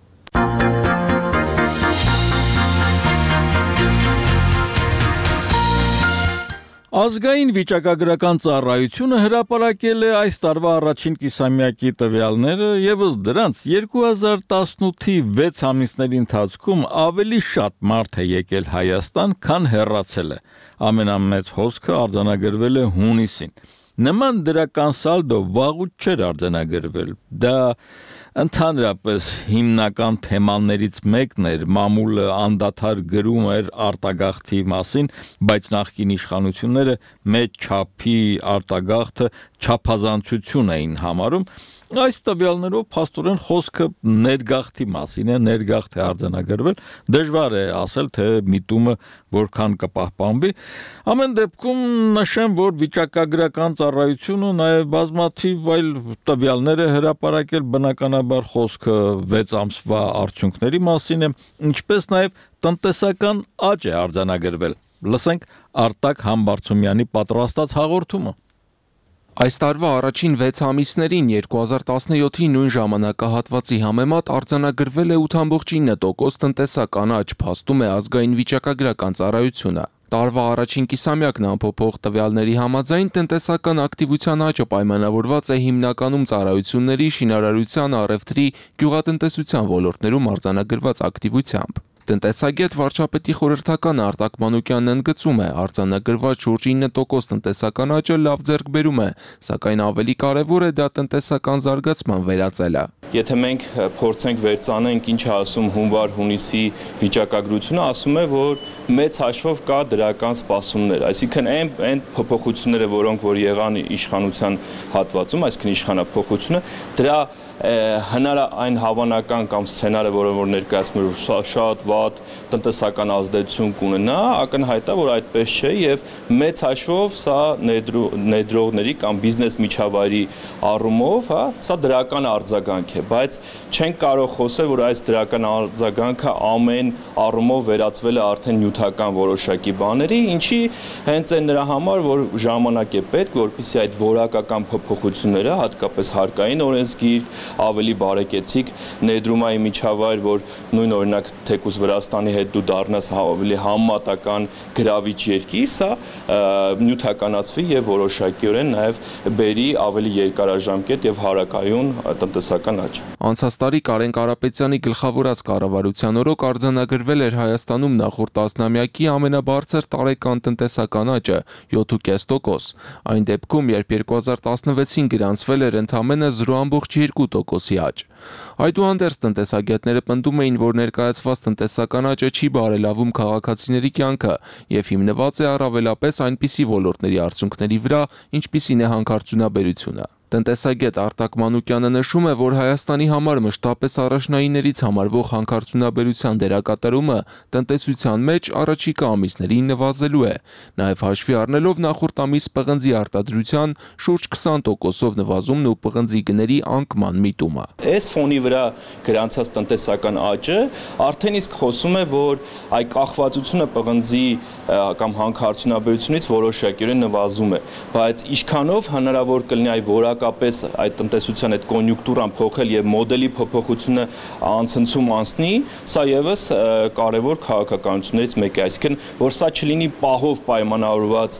Ազգային վիճակագրական ծառայությունը հրապարակել է այս տարվա առաջին կիսամյակի տվյալները, եւս դրանց երկու հազար տասնութի վեց ամիսների ընթացքում ավելի շատ մարդ է եկել Հայաստան, քան հեռացել է։ Ամենամեծ հոսքը արձանագրվել է հունիսին։ Նման դրական սալդո վաղուց չէր արձանագրվել։ Դա ընդհանրապես հիմնական թեմաներից մեկն էր, մամուլը անդադար գրում էր արտագաղթի մասին, բայց նախկին իշխանությունները մեծ չափի արտագաղթը չափազանցություն էին համարում։ Այս տվյալներով փաստորեն խոսքը ներգաղթի մասին է, ներգաղթ է արձանագրվել, դժվար է ասել, թե միտումը որքան կպահպանվի։ Ամեն դեպքում նշեմ, որ վիճակագրական ծառայությունը նաև բազմաթիվ այլ տվյալներ է հրապարակել, բնականաբար խոսքը վեց ամսվա արդյունքների մասին է, ինչպես նաև տնտեսական աճ է արձանագրվել։ Լսենք Արտակ Համբարձումյանի պատրաստած հաղորդումը։ Այս տարվա առաջին վեց ամիսներին երկու հազար տասնյոթի նույն ժամանակահատվածի համեմատ արձանագրվել է ութ բացի ինը տոկոս տնտեսական աճ, փաստում է ազգային վիճակագրական ծառայությունը։ Տարվա առաջին կիսամյակն անփոփոխ տվյալների համաձայն տնտեսական ակտիվության աճը պայմանավորված է հիմնականում ծառայությունների, շինարարության, առևտրի, գյուղատնտեսության ոլորտներում արձանագրված ակտիվությամբ։ Տնտեսագետ վարչապետի խորհրդական Արտակ Մանուկյանն ընդգծում է, արձանագրված շուրջ ինը տոկոս տնտեսական աճը լավ ձեռքբերում է, սակայն ավելի կարևոր է դա տնտեսական զարգացման վերածելը։ Եթե մենք փորձենք վերցանենք ինչ է ասում հունվար-հունիսի վիճակագրությունը, ասում է, որ մեծ հաշվով կա դրական սպասումներ, այսինքն այն այն փոփոխությունները, որոնք որ եղան իշխանության հատվածում, այսինքն իշխանափոխությունը, դրա հնար այն հավանական կամ սցենարը, որը որ ներկայացնում է շատ վատ տնտեսական ազդեցություն կունենա, ակնհայտ է, որ այդպես չէ եւ մեծ հաշվով սա ներդրողների կամ բիզնես միջավայրի առումով, հա, սա դրական արձագանք է, բայց չենք կարող խոսել, որ այս դրական արձագանքը ամեն առումով վերածվել է արդեն նյութական որոշակի բաների, ինչի հենց այն նրա համար, որ ժամանակ է պետք, որպեսզի այդ որակական փոփոխությունները, հատկապես հարկային օրենսգիր ավելի բարեկեցիկ ներդրումային միջավայր, որ նույն օրինակ թեկուզ Վրաստանի հետ դու դառնաս ավելի համեմատական գրավիչ երկիր, սա նյութականացվի եւ որոշակիորեն նաեւ բերի ավելի երկարաժամկետ եւ հարակայուն տնտեսական աճ։ Անցած տարի Կարեն Կարապետյանի գլխավորած կառավարության օրոք արձանագրվել էր Հայաստանում նախորդ տասնամյակի ամենաբարձր տարեկան տնտեսական աճը՝ յոթ կόμμα պենս տոկոս։ Այն դեպքում, երբ երկու հազար տասնվեցին գրանցվել էր ընդամենը զրո կόμma երկու տոկոսի աճ։ Այդուհանդերձ տնտեսագետները պնդում էին, որ ներկայացված տնտեսական աճը չի բարելավում քաղաքացիների կյանքը եւ հիմնված է առավելապես այնպիսի ոլորտների արդյունքների վրա, ինչպիսին է հանքարդյունաբերությունը։ Տնտեսագետ Արտակ Մանուկյանը նշում է, որ Հայաստանի համար մշտապես առաջնայիններից համարվող հանքարդյունաբերության դերակատարումը տնտեսության մեջ առաջիկա ամիսներին նվազելու է, նաև հաշվի առնելով նախորդ ամիս պղնձի արտադրության շուրջ քսան տոկոսով նվազումն ու պղնձի գների անկման միտումը։ Այս ֆոնի վրա գրանցած տնտեսական աճը արդեն իսկ խոսում է, որ այ կախվածությունը պղնձի կամ հանքարդյունաբերությունից որոշակիորեն նվազում է, բայց ինչքանով հնարավոր կլինի այ որակապես այդ տնտեսության այդ կոնյունկտուրան փոխել եւ մոդելի փոփոխությունը անցնցում անցնի, սա եւս կարեւոր քաղաքականություններից մեկը է, այսինքն որ սա չլինի պահով պայմանավորված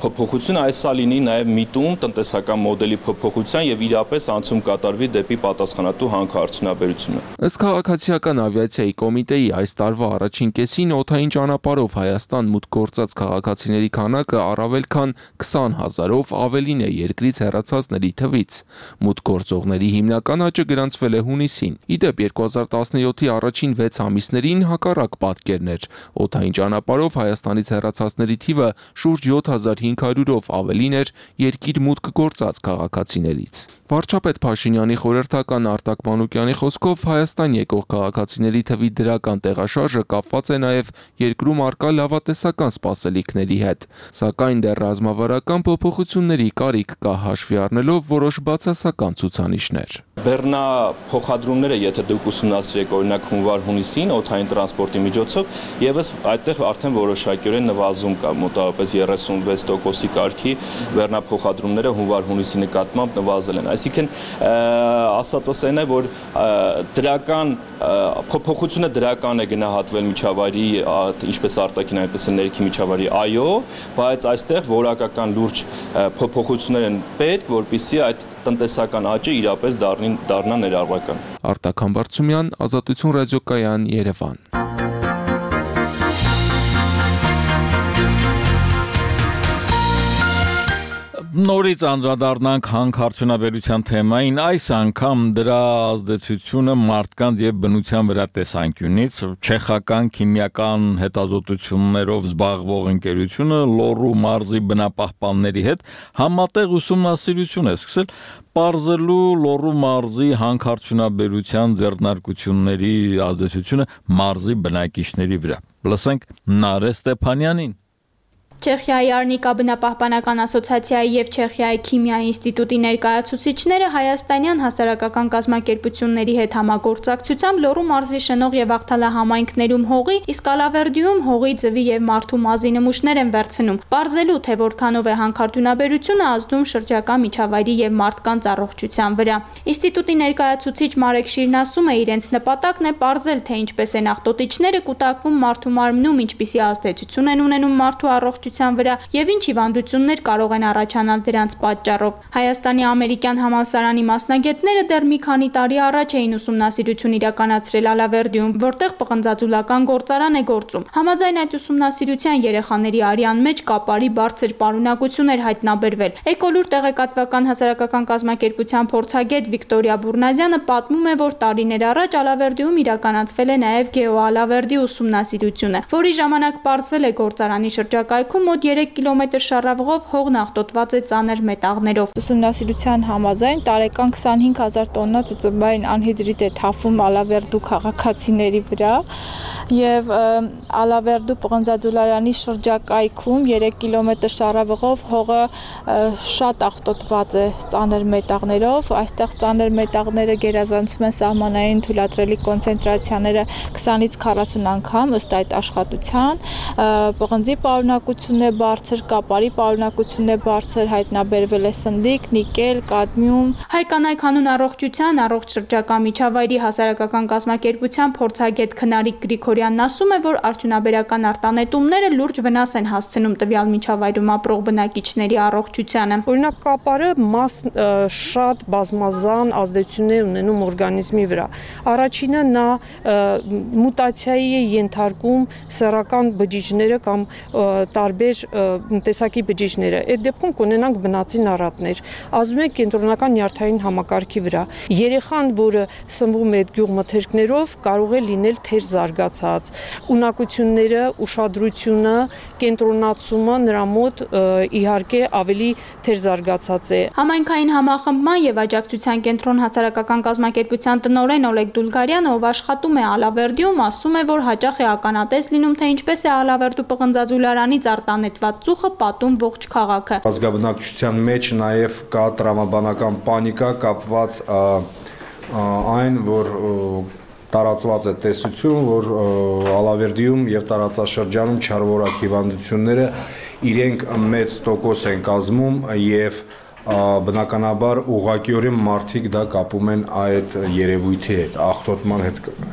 փոփոխություն, այլ սա լինի նաեւ միտում տնտեսական մոդելի փոփոխության եւ իրապես անցում կատարվի դեպի պատասխանատու հանքարդյունաբերությունը։ Ըստ քաղաքացիական ավիացիայի կոմիտեի այս տարվա առաջին կեսին օդային ճանապարհով Հայաստան մուտք գործած քաղաքացիների քանակը առավել քան քսան հազարով ավելին է երկրից հեռացածների թվից։ Մուտք գործողների հիմնական աճը գրանցվել է հունիսին։ Ի դեպ երկու հազար տասնյոթի առաջին վեց ամիսներին հակառակ պատկերն էր։ Օդային ճանապարհով Հայաստանից հեռացածների թիվը շուրջ յոթ հազար հինգ հարյուրով ավելին էր երկիր մուտք գործած քաղաքացիներից։ Վարչապետ Փաշինյանի խորհրդական Արտակ Մանուկյանի խոսքով Հայաստան եկող քաղաքացիների թվի դրական տեղաշարժը կապված է նաև երկրում առկա լավատեսական սպասելիքների հետ, սակայն դեռ ռազմավարական փոփոխությունների կարիք կա հաշվի առնելով որոշ բացասական ցուցանիշներ։ Բեռնա փոխադրումները, եթե դուք ուսումնասիրեք օրինակ հունվար-հունիսին օդային տրանսպորտի միջոցով, եւս այդտեղ արդեն որոշակիորեն նվազում կա, մոտավորապես երեսունվեց տոկոսի կարգի բեռնա փոխադրումները հունվար-հունիսի նկատմամբ նվազել են։ Այսինքն ասածս այն է, որ դրական փոփոխությունը դրական է գնահատվել միջավայրի ինչպես արտաքին այնպես էլ ներքին միջավայրի այո, բայց այստեղ որակական լուրջ փոփոխություններ են պետք, որպեսզի այդ տնտեսական աճը իրապես դառնա ներառական։ Արտակ Համբարձումյան, Ազատություն ռադիոկայան, Երևան։ Նորից անդրադառնանք հանքարդյունաբերության թեմային, այս անգամ դրա ազդեցությունը մարդկանց եւ բնության վրա տեսանկյունից չեխական քիմիական հետազոտություններով զբաղվող ընկերությունը Լոռու մարզի բնապահպանների հետ համատեղ ուսումնասիրություն է սկսել պարզելու Լոռու մարզի հանքարդյունաբերության ձեռնարկությունների ազդեցությունը մարզի բնակիչների վրա։ Լսենք Նարե Ստեփանյանին։ Չեխիայի Արնիկա բնապահպանական ասոցիացիայի եւ Չեխիայի քիմիայի ինստիտուտի ներկայացուցիչները հայաստանյան հասարակական կազմակերպությունների հետ համագործակցությամբ Լոռու մարզի Շնող եւ Աղթալա համայնքներում հողի, իսկ Ալավերդիում հողի, ձվի եւ մարդու մազի նմուշներ են վերցնում, պարզելու թե որքանով է հանքարդյունաբերությունը ազդում շրջակա միջավայրի եւ մարդկանց առողջության վրա։ Ինստիտուտի ներկայացուցիչ Մարեկ Շիրն ասում է, իրենց նպատակն է պարզել, թե ինչպես են աղտոտիչները կուտակվում մարդու մարմնում, ինչպիսի ազդեցություն են ունենում մարդու առողջության վրա եւ ինչ հիվանդություններ կարող են առաջանալ դրանց պատճառով։ Հայաստանի ամերիկյան համալսարանի մասնագետները դեռ մի քանի տարի առաջ էին ուսումնասիրություն իրականացրել Ալավերդիում, որտեղ պղնձաձուլական գործարան է գործում։ Համաձայն այդ ուսումնասիրության երեխաների արյան մեջ կապարի բարձր պարունակություն էր հայտնաբերվել։ Էկոլուր տեղեկատվական հասարակական կազմակերպության փորձագետ Վիկտորիա Բուրնազյանը պատմում է, որ տարիներ առաջ Ալավերդիում իրականացվել է նաև գեոալավերդի ուսումնասիրությունը, որի ժամանակ պարզվել է գործարանի շրջակայքում մոտ երեք կիլոմետր շարավղով հողն աղտոտված է ծանր մետաղներով։ Ուսումնասիրության համաձայն տարեկան քսանհինգ հազար տոննա ծծմբային անհիդրիդ է թափվում Ալավերդու քաղաքացիների վրա եւ Ալավերդու պղնձաձուլարանի շրջակայքում երեք կիլոմետր շարավղով հողը շատ աղտոտված է ծանր մետաղներով։ Այստեղ ծանր մետաղները գերազանցում են սահմանային թույլատրելի կոնցենտրացիաները քսանից քառասուն անգամ ըստ այդ աշխատության։ Պղնձի պարունակությունը պարունակությունն է բարձր, կապարի պարունակությունն է բարձր, հայտնաբերվել է սնդիկ, նիկել, կադմիում։ Հայկանայք հանուն առողջության, առողջ շրջակա միջավայրի հասարակական կազմակերպության փորձագետ Քնարիկ Գրիգորյանն ասում է, որ արդյունաբերական արտանետումները լուրջ վնաս են հասցնում տվյալ միջավայրում ապրող բնակիչների առողջությանը։ Օրինակ կապարը մաս շատ բազմազան ազդեցություն է ունենում օրգանիզմի վրա։ Առաջինը նա մուտացիայի է ենթարկում սեռական բջիջները կամ տարբեր տեսակի բջիջները։ Այդ դեպքում կունենանք բնածին առատներ, ազդում է կենտրոնական նյարդային համակարգի վրա։ Երեխան, որը սնվում է այդ գյուղմթերքներով, կարող է լինել թեր զարգացած, ունակությունները, ուշադրությունը, կենտրոնացումը նրա մոտ իհարկե ավելի թեր զարգացած է։ Համայնքային համախմբման եւ աջակցության կենտրոն հասարակական կազմակերպության տնօրեն Օլեգ Դուլգարյանը, ով աշխատում է Ալավերդիում, ասում է, որ հաճախ է ականատես լինում, թե ինչպես է Ալավերդու պղնձաձուլարանից արտանետված ծուխը պատում ողջ քաղաքը։ Ազգաբնակչության մեջ նաեւ կա տրամաբանական պանիկա կապված այն, որ տարածված է տեսություն, որ Ալավերդիում եւ տարածաշրջանում չարվորակ հիվանդությունները իրենք մեծ տոկոս են կազմում եւ բնականաբար ուղղակիորեն մարդիկ դա կապում են այդ երևույթի հետ, աղտոտման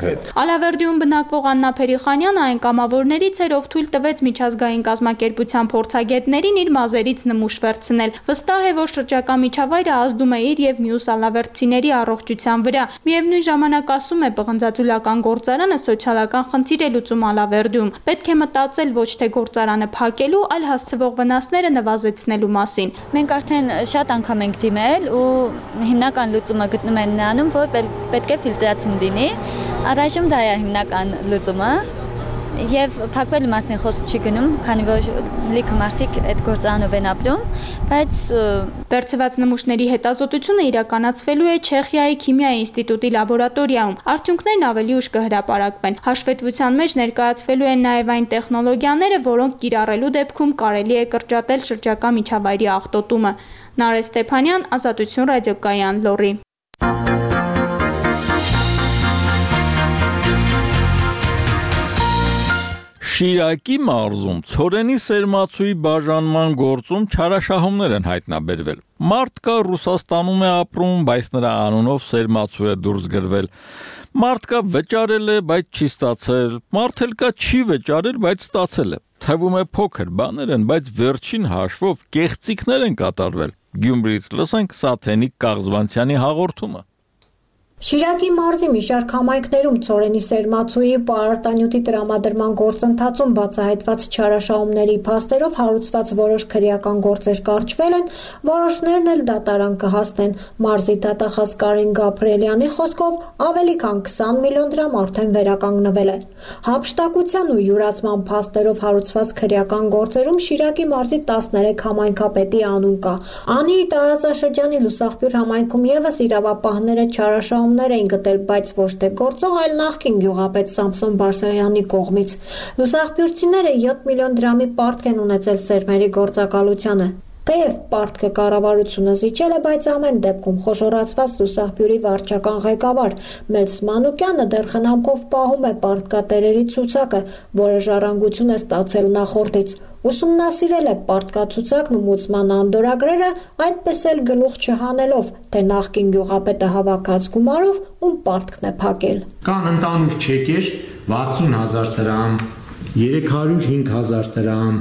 հետ։ Ալավերդիում բնակվող Աննա Փերիխանյանը այն կամավորներից էր, ով թույլ տվեց միջազգային կազմակերպության փորձագետներին իր մազերից նմուշ վերցնել։ Վստահ է, որ շրջակա միջավայրը ազդում է իր եւ մյուս ալավերդցիների առողջության վրա։ Միևնույն ժամանակ ասում է, պղնձաձուլական գործարանը սոցիալական խնդիր է լուծում Ալավերդիում։ Պետք է մտածել ոչ թե գործարանը փակելու, այլ հասցվող վնասները նվազեցնելու մասին։ Մենք արդեն շատ անգամ ենք դիմել ու հիմնական լուծումը գտնում են նրանում, որ պետք է ֆիլտրացում լինի։ Առայժմ դա է հիմնական լուծումը եւ փակվելու մասին խոսք չի գնում, քանի որ լիքը մարդիկ այդ գործարանով են ապրում, բայց վերցված նմուշների հետազոտությունը իրականացվելու է Չեխիայի քիմիայի ինստիտուտի լաբորատորիայում։ Արդյունքներն ավելի ուշ կհրապարակվեն։ Հաշվետվության մեջ ներկայացվելու են նաև այն տեխնոլոգիաները, որոնք կիրառելու դեպքում կարելի է կրճատել շրջակա միջավայրի աղտոտումը։ Նարե Ստեփանյան, Ազատություն ռադիոկայան, Լոռի։ Շիրակի մարզում ցորենի սերմացուի բաժանման գործում չարաշահումներ են հայտնաբերվել։ Մարդ կա Ռուսաստանում է ապրում, բայց նրա անունով սերմացու է դուրս գրվել։ Մարդ կա վճարել է, բայց չի ստացել։ Մարդ էլ կա չի վճարել, բայց ստացել է։ Թվում է փոքր բաներ են, բայց վերջին հաշվով կեղծիքներ են կատարվել։ Գյումրիից լսենք Սաթենիկ Կաղզվանցյանի հաղորդումը։ Շիրակի մարզի մի շարք համայնքներում ցորենի սերմացուի պարարտանյութի տրամադրման գործընթացում բացահայտված չարաշահումների փաստերով հարուցված որոշ քրեական գործեր կարճվել են, որոշներն էլ դատարան կհասնեն։ Մարզի դատախազ Կարին Գաբրիելյանի խոսքով ավելի քան քսան միլիոն դրամ արդեն վերականգնվել է։ Հափշտակության ու յուրացման փաստերով հարուցված քրեական գործերում Շիրակի մարզի տասներեք համայնքապետի անուն կա։ Անի տարածաշրջանի Լուսաղբյուր համայնքում եւս իրավապահները չարաշահում էին գտել, բայց ոչ թե գործող, այլ նախկին գյուղապետ Սամսոն Բարսեղյանի կողմից։ Լուսաղբյուրցիները յոթ միլիոն դրամի պարտք են ունեցել սերմերի գործակալությանը։ Թեև պարտքը կառավարությունը զիջել է, բայց ամեն դեպքում խոշորացված Լուսաղբյուրի վարչական ղեկավար Մելս Մանուկյանը դեռ խնամքով պահում է պարտկատերերի ցուցակը, որը ժառանգություն է ստացել նախորդից։ Ուսումնասիրել է պարտկացուցակն ու մուծման անդորագրերը, այդպես էլ գլուխ չհանելով, թե նախկին գյուղապետը հավաքած գումարով ում պարտքն է փակել։ Կան ընդանուր չեկեր վաթսուն հազար դրամ, երեք հարյուր հինգ հազար դրամ,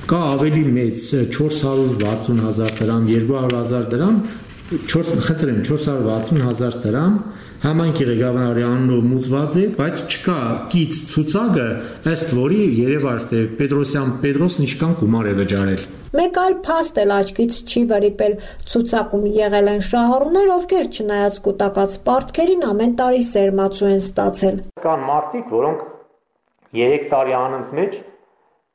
կա ավելի մեծ չորս հարյուր վաթսուն հազար դրամ, երկու հարյուր հազար դրամ, խնդրեմ չորս հարյուր վաթսուն հազար դրամ համայնքի ղեկավարի անունով մուծված է, բայց չկա կից ցուցակը, ըստ որի երևար թե Պետրոսյան Պետրոսն ինչքան գումար է վճարել։ Մեկ այլ փաստ էլ աչքից չի վրիպել։ Ցուցակում եղել են շահառուներ, ովքեր չնայած կուտակած պարտքերին ամեն տարի սերմացու են ստացել։ Կան մարդիկ, որոնք երեք տարի անընդմեջ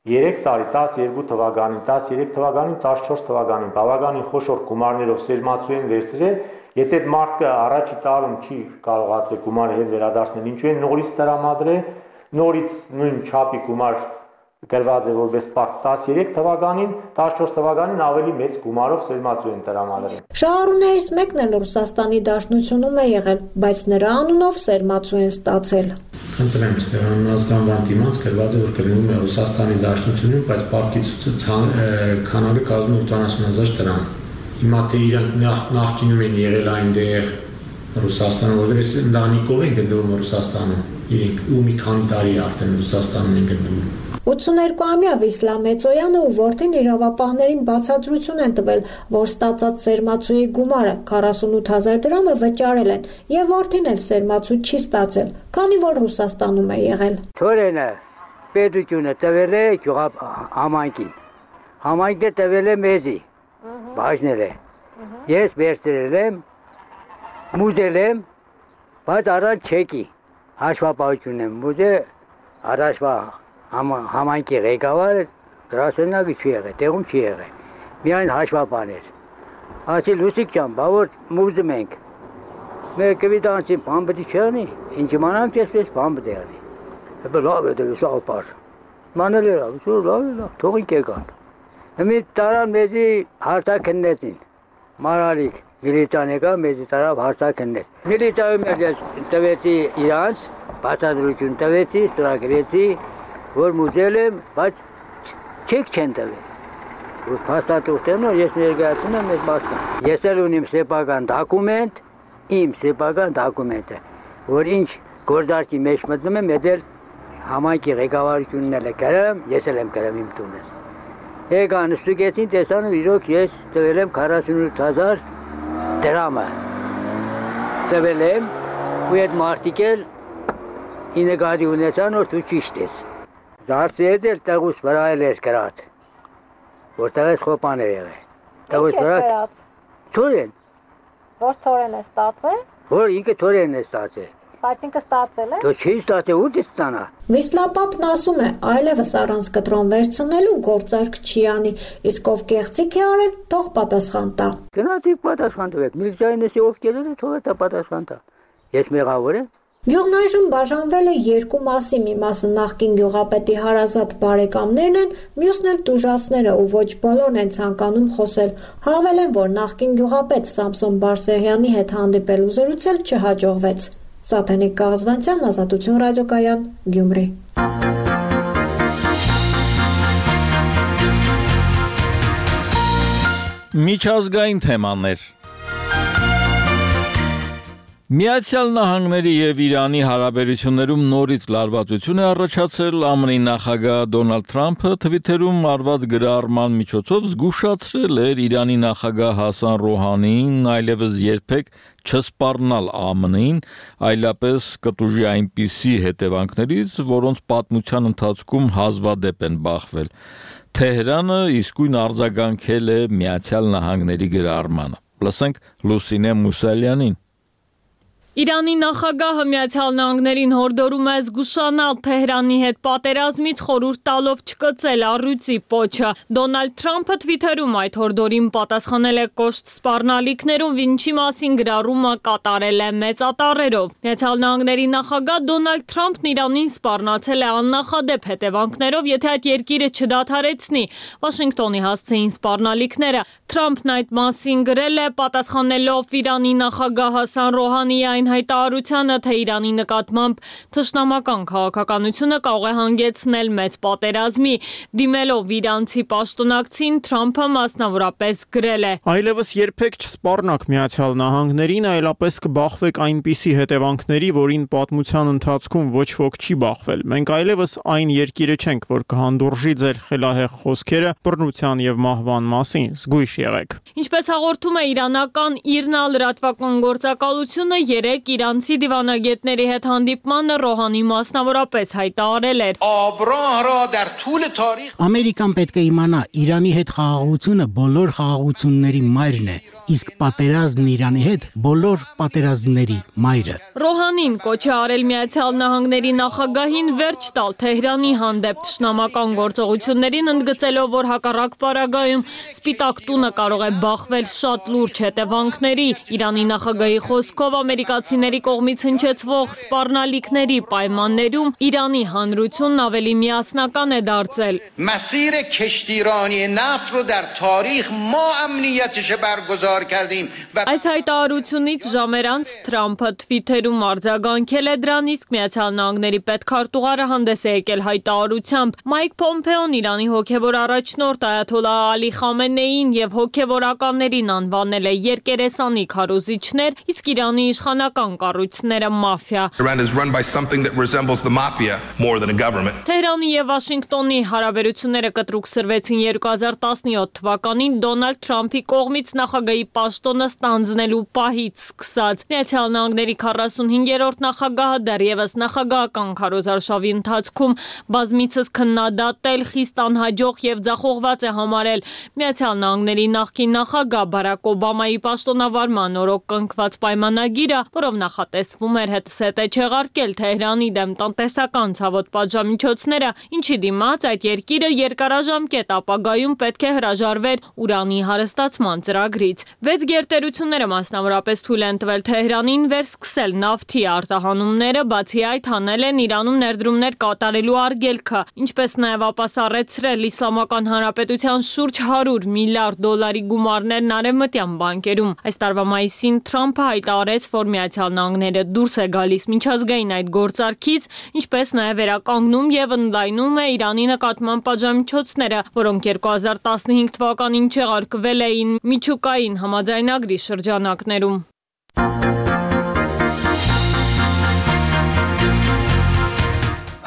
երեք տարի տասնյոթ թվականին, տասնյոթ թվականին, տասնչորս թվականին բավականին խոշոր գումարներով սերմացու են վերցրել, եթե այդ մարդը առաջի տարում չի կարողացել գումարը հետ վերադարձնել, ինչու են նորից տրամադրել, նորից նույն չափի գումար գրված է որպես պարտ տասնյոթ թվականին, տասնչորս թվականին ավելի մեծ գումարով սերմացու են տրամադրել։ Շահառուներից մեկն էլ Ռուսաստանի Դաշնությունում է եղել, բայց նրա անունով սերմացու են ստացել։ Խնդրեմ, այստեղ անհասկանալի դիմաց գրված է, որ գնում է Ռուսաստանի Դաշնությունում, բայց պարտքիցուցը քանակը կազմում է ութանասուն հազար դրամ։ Հիմա թե իրանք նախկինում են եղել այնտեղ Ռուսաստանում, որտեղ այս ընտանիքով են գտնվում Ռուսաստանում, իրենք ու մի քանի տարի արդեն Ռուսաստանում են գտնվում։ ութսուներկուամյա Վիսլա Մեծոյանը ու որդին իրավապահներին բացատրություն են տվել, որ ստացած սերմացուի գումարը քառասունութ հազար դրամը վճարել են, եւ որդին էլ սերմացու չի ստացել, քանի որ Ռուսաստանում է եղել։ Թորենը պետությունը տվել է համայնքին, համայնքը տվել է մեզի, բաժնել է, ես վերցրել եմ, մուզել եմ, բայց առանց չեկի, հաշվապահություն եմ մուզել, առաջվա համայնքի ղեկավարը գրասենյակը չի եղել, տեղում չի եղել, միայն հաշվապահներ։ Ասի Լուսիկ ջան, բա որ մուզում ենք, մեր կվիտանցին բան պետք չի անի, ինչ իմանանք այսպես բան պետք է անի։ Հəbə լավ է դե սապար։ Մանել էր, ու լավ է, թողին կեկան։ Հիմի տարան մեզի հարթակնեցին, մարալիկ, միլիցիան եկա, մեզի տարավ հարթակնեց։ Միլիցիայում ես տվեցի իրանց, բացատրություն տվեցի, ստորագրեցի, որ մուզել եմ, բայց չեք չեն տվել։ Որ փաստաթուղթերն որ ես ներկայացնում եմ այդ մարդկանց։ Ես էլ ունիմ սեփական դոկումենտ, իմ սեփական դոկումենտը, որ ինչ գործարքի մեջ մտնում եմ, դա համայնքի ղեկավարությունն էլ է գրում, ես էլ եմ գրում իմ տունս։ Եկան ստուգեցին, տեսան ու իրոք ես տվել եմ քառասունութ հազար դրամը։ Տվել եմ ու այդ մարդիկ էլ ինեգադի ունեցան, որ դու ճիշտ ես։ Զարսի հետ էլ տեղուս վրա էլ էր գրած, որտեղ ես խոպան էր եղել։ Տեղուս վրա Թորեն։ Որ Թորեն է ստացել։ Որ ինքը Թորենն է ստացել։ Բայց ինքը ստացել է։ Դու չի ստացել, ու ստանա։ Վիսլապապն ասում է, այլևս առանց կտրոն վերցնելու գործարք չի անի, իսկ ով կեղծիք է արել, թող պատասխան տա։ Գնացիք պատասխան տվեք, միլիցիային էսի ով կերել է, թող է պատասխան տա։ Ես մեղավոր եմ։ Գյուղն այժմ բաժանվել է երկու մասի, մի մասը նախկին գյուղապետի հարազատ բարեկամներն են, մյուսն էլ տուժածները ու ոչ բոլորն են ցանկանում խոսել։ Հավելեն, որ նախկին գյուղապետ Սամսոն Բարսեղյանի հետ հանդիպել ու զրուցել չհաջողվեց։ Սաթենիկ Կաղզվանցյան, Ազատություն ռադիոկայան, Գյումրի։ Միջազգային թեմաներ։ Միացյալ Նահանգների եւ Իրանի հարաբերություններում նորից լարվածություն է առաջացել, ԱՄՆ-ի նախագահ Դոնալդ Թրամփը Թվիթերում արված գրառման միջոցով զգուշացրել էր Իրանի նախագահ Հասան Ռոհանիին այլևս երբեք չսպառնալ ԱՄՆ-ին, այլապես կտուժի այնպիսի հետևանքներից, որոնց պատմության ընթացքում հազվադեպ են բախվել։ Թեհրանը իսկույն արձագանքել է Միացյալ Նահանգների գրառմանը։ Լսենք Լուսինե Մուսալյանին։ Իրանի նախագահը Միացյալ Նահանգներին հորդորում է զգուշանալ Թեհրանի հետ պատերազմից, խորհուրդ տալով չկծել առյուծի պոչը։ Դոնալդ Թրամփը Թվիթերում այդ հորդորին պատասխանել է կոշտ սպառնալիքներով, ինչի մասին գրառումը կատարել է մեծատառերով։ Միացյալ Նահանգների նախագահ Դոնալդ Թրամփն Իրանին սպառնացել է աննախադեպ հետևանքներով, եթե այդ երկիրը չդադարեցնի։ Վաշինգտոնի հասցեին սպառնալիքները։ Թրամփն այդ մասին գրել է, պատասխանելով Իրանի նախագահ Հասան Ռոհանիի այն հայտարարությանը, թե Իրանի նկատմամբ թշնամական քաղաքականությունը կարող է հանգեցնել մեծ պատերազմի, դիմելով իրանցի պաշտոնակցին, Թրամփը մասնավորապես գրել է. Այլևս երբեք չսպառնաք Միացյալ Նահանգներին, այլապես կբախվեք այնպիսի հետևանքների, որին պատմության ընթացքում ոչ ոք չի բախվել։ Մենք այլևս այն երկիրը չենք, որ կհանդուրժի ձեր խելահեղ խոսքերը բռնության եւ մահվան մասին, զգույշ եղեք։ Ինչպես հաղորդում է իրանական ԻՌՆԱ լրատվական գործակալությունը, երեք իրանցի դիվանագետների հետ հանդիպմանը Ռոհանի մասնավորապես հայտարարել էր. Ամերիկան պետք է իմանա, Իրանի հետ խաղաղությունը բոլոր խաղաղությունների մայրն է, իսկ պատերազմն Իրանի հետ բոլոր պատերազմների մայրը։ Ռոհանին կոչ է արել Միացյալ Նահանգների նախագահին վերջ տալ Թեհրանի հանդեպ թշնամական գործողություններին, ընդգծելով, որ հակառակ պարագայում Սպիտակ տունը կարող է բախվել շատ լուրջ հետևանքների։ Իրանի նախագահի խոսքով ամերիկացիների կողմից հնչեցվող սպառնալիքների պայմաններում Իրանի հանրությունն ավելի միասնական է դարձել։ مسیر کشتیرانی نفت رو در تاریخ ما امنیتش برگزار فرار کردیم و Այս հայտարարությունից ժամեր անց Թրամփը Twitter-ում արձագանքել է դրան, իսկ Միացյալ Նահանգների պետքարտուղարը հանդես է եկել հայտարարությամբ։ Մայք Պոմպեոն Իրանի հոգևոր առաջնորդ Այաթոլլահ Ալի Խամենեին եւ հոգևորականներին անվանել է երկերեսանի քարոզիչներ, իսկ Իրանի իշխանական կառույցները մաֆիա։ Iran is run by something that resembles the mafia more than a government. Թեհրանի եւ Վաշինգտոնի հարաբերությունները կտրուկ սրվեցին երկու հազար տասնյոթ թվականին Դոնալդ Թրամփի կողմից նախագահի պաշտոնը ստանձնելու պահից սկսած։ Միացյալ Նահանգների քառասունհինգերորդ նախագահը դեռևս նախագահական քարոզարշավի ընթացքում բազմիցս քննադատել, խիստ անհաջող եւ ձախողված է համարել Միացյալ Նահանգների նախկին նախագահ Բարակ Օբամայի պաշտոնավարման օրոք կնքված պայմանագիրը, որով նախատեսվում էր հետսետե չեղարկել Թեհրանի դեմ տնտեսական ցավոտ պատժամիջոցները, ինչի դիմաց այդ երկիրը երկարաժամկետ ապագայում պետք է հրաժարվեր ուրանի հարստացման ծրագրից։ Վեց գերտերությունները մասնավորապես թույլ են տվել Թեհրանին վերսկսել նավթի արտահանումները, բացի այդ հանել են Իրանում ներդրումներ կատարելու արգելքը, ինչպես նաև ապասառեցրել Իսլամական Հանրապետության շուրջ հարյուր միլիարդ դոլարի գումարներն արևմտյան բանկերում։ Այս տարվա մայիսին Թրամփը հայտարարեց, որ Միացյալ Նահանգները դուրս է գալիս միջազգային այդ գործարքից, ինչպես նաև վերականգնում եւ ընդլայնում է Իրանի նկատմամբ պատժամիջոցները, որոնք երկու հազար տասնհինգ թվականին չեղարկվել էին միջուկային համաձայնագրի շրջանակներում։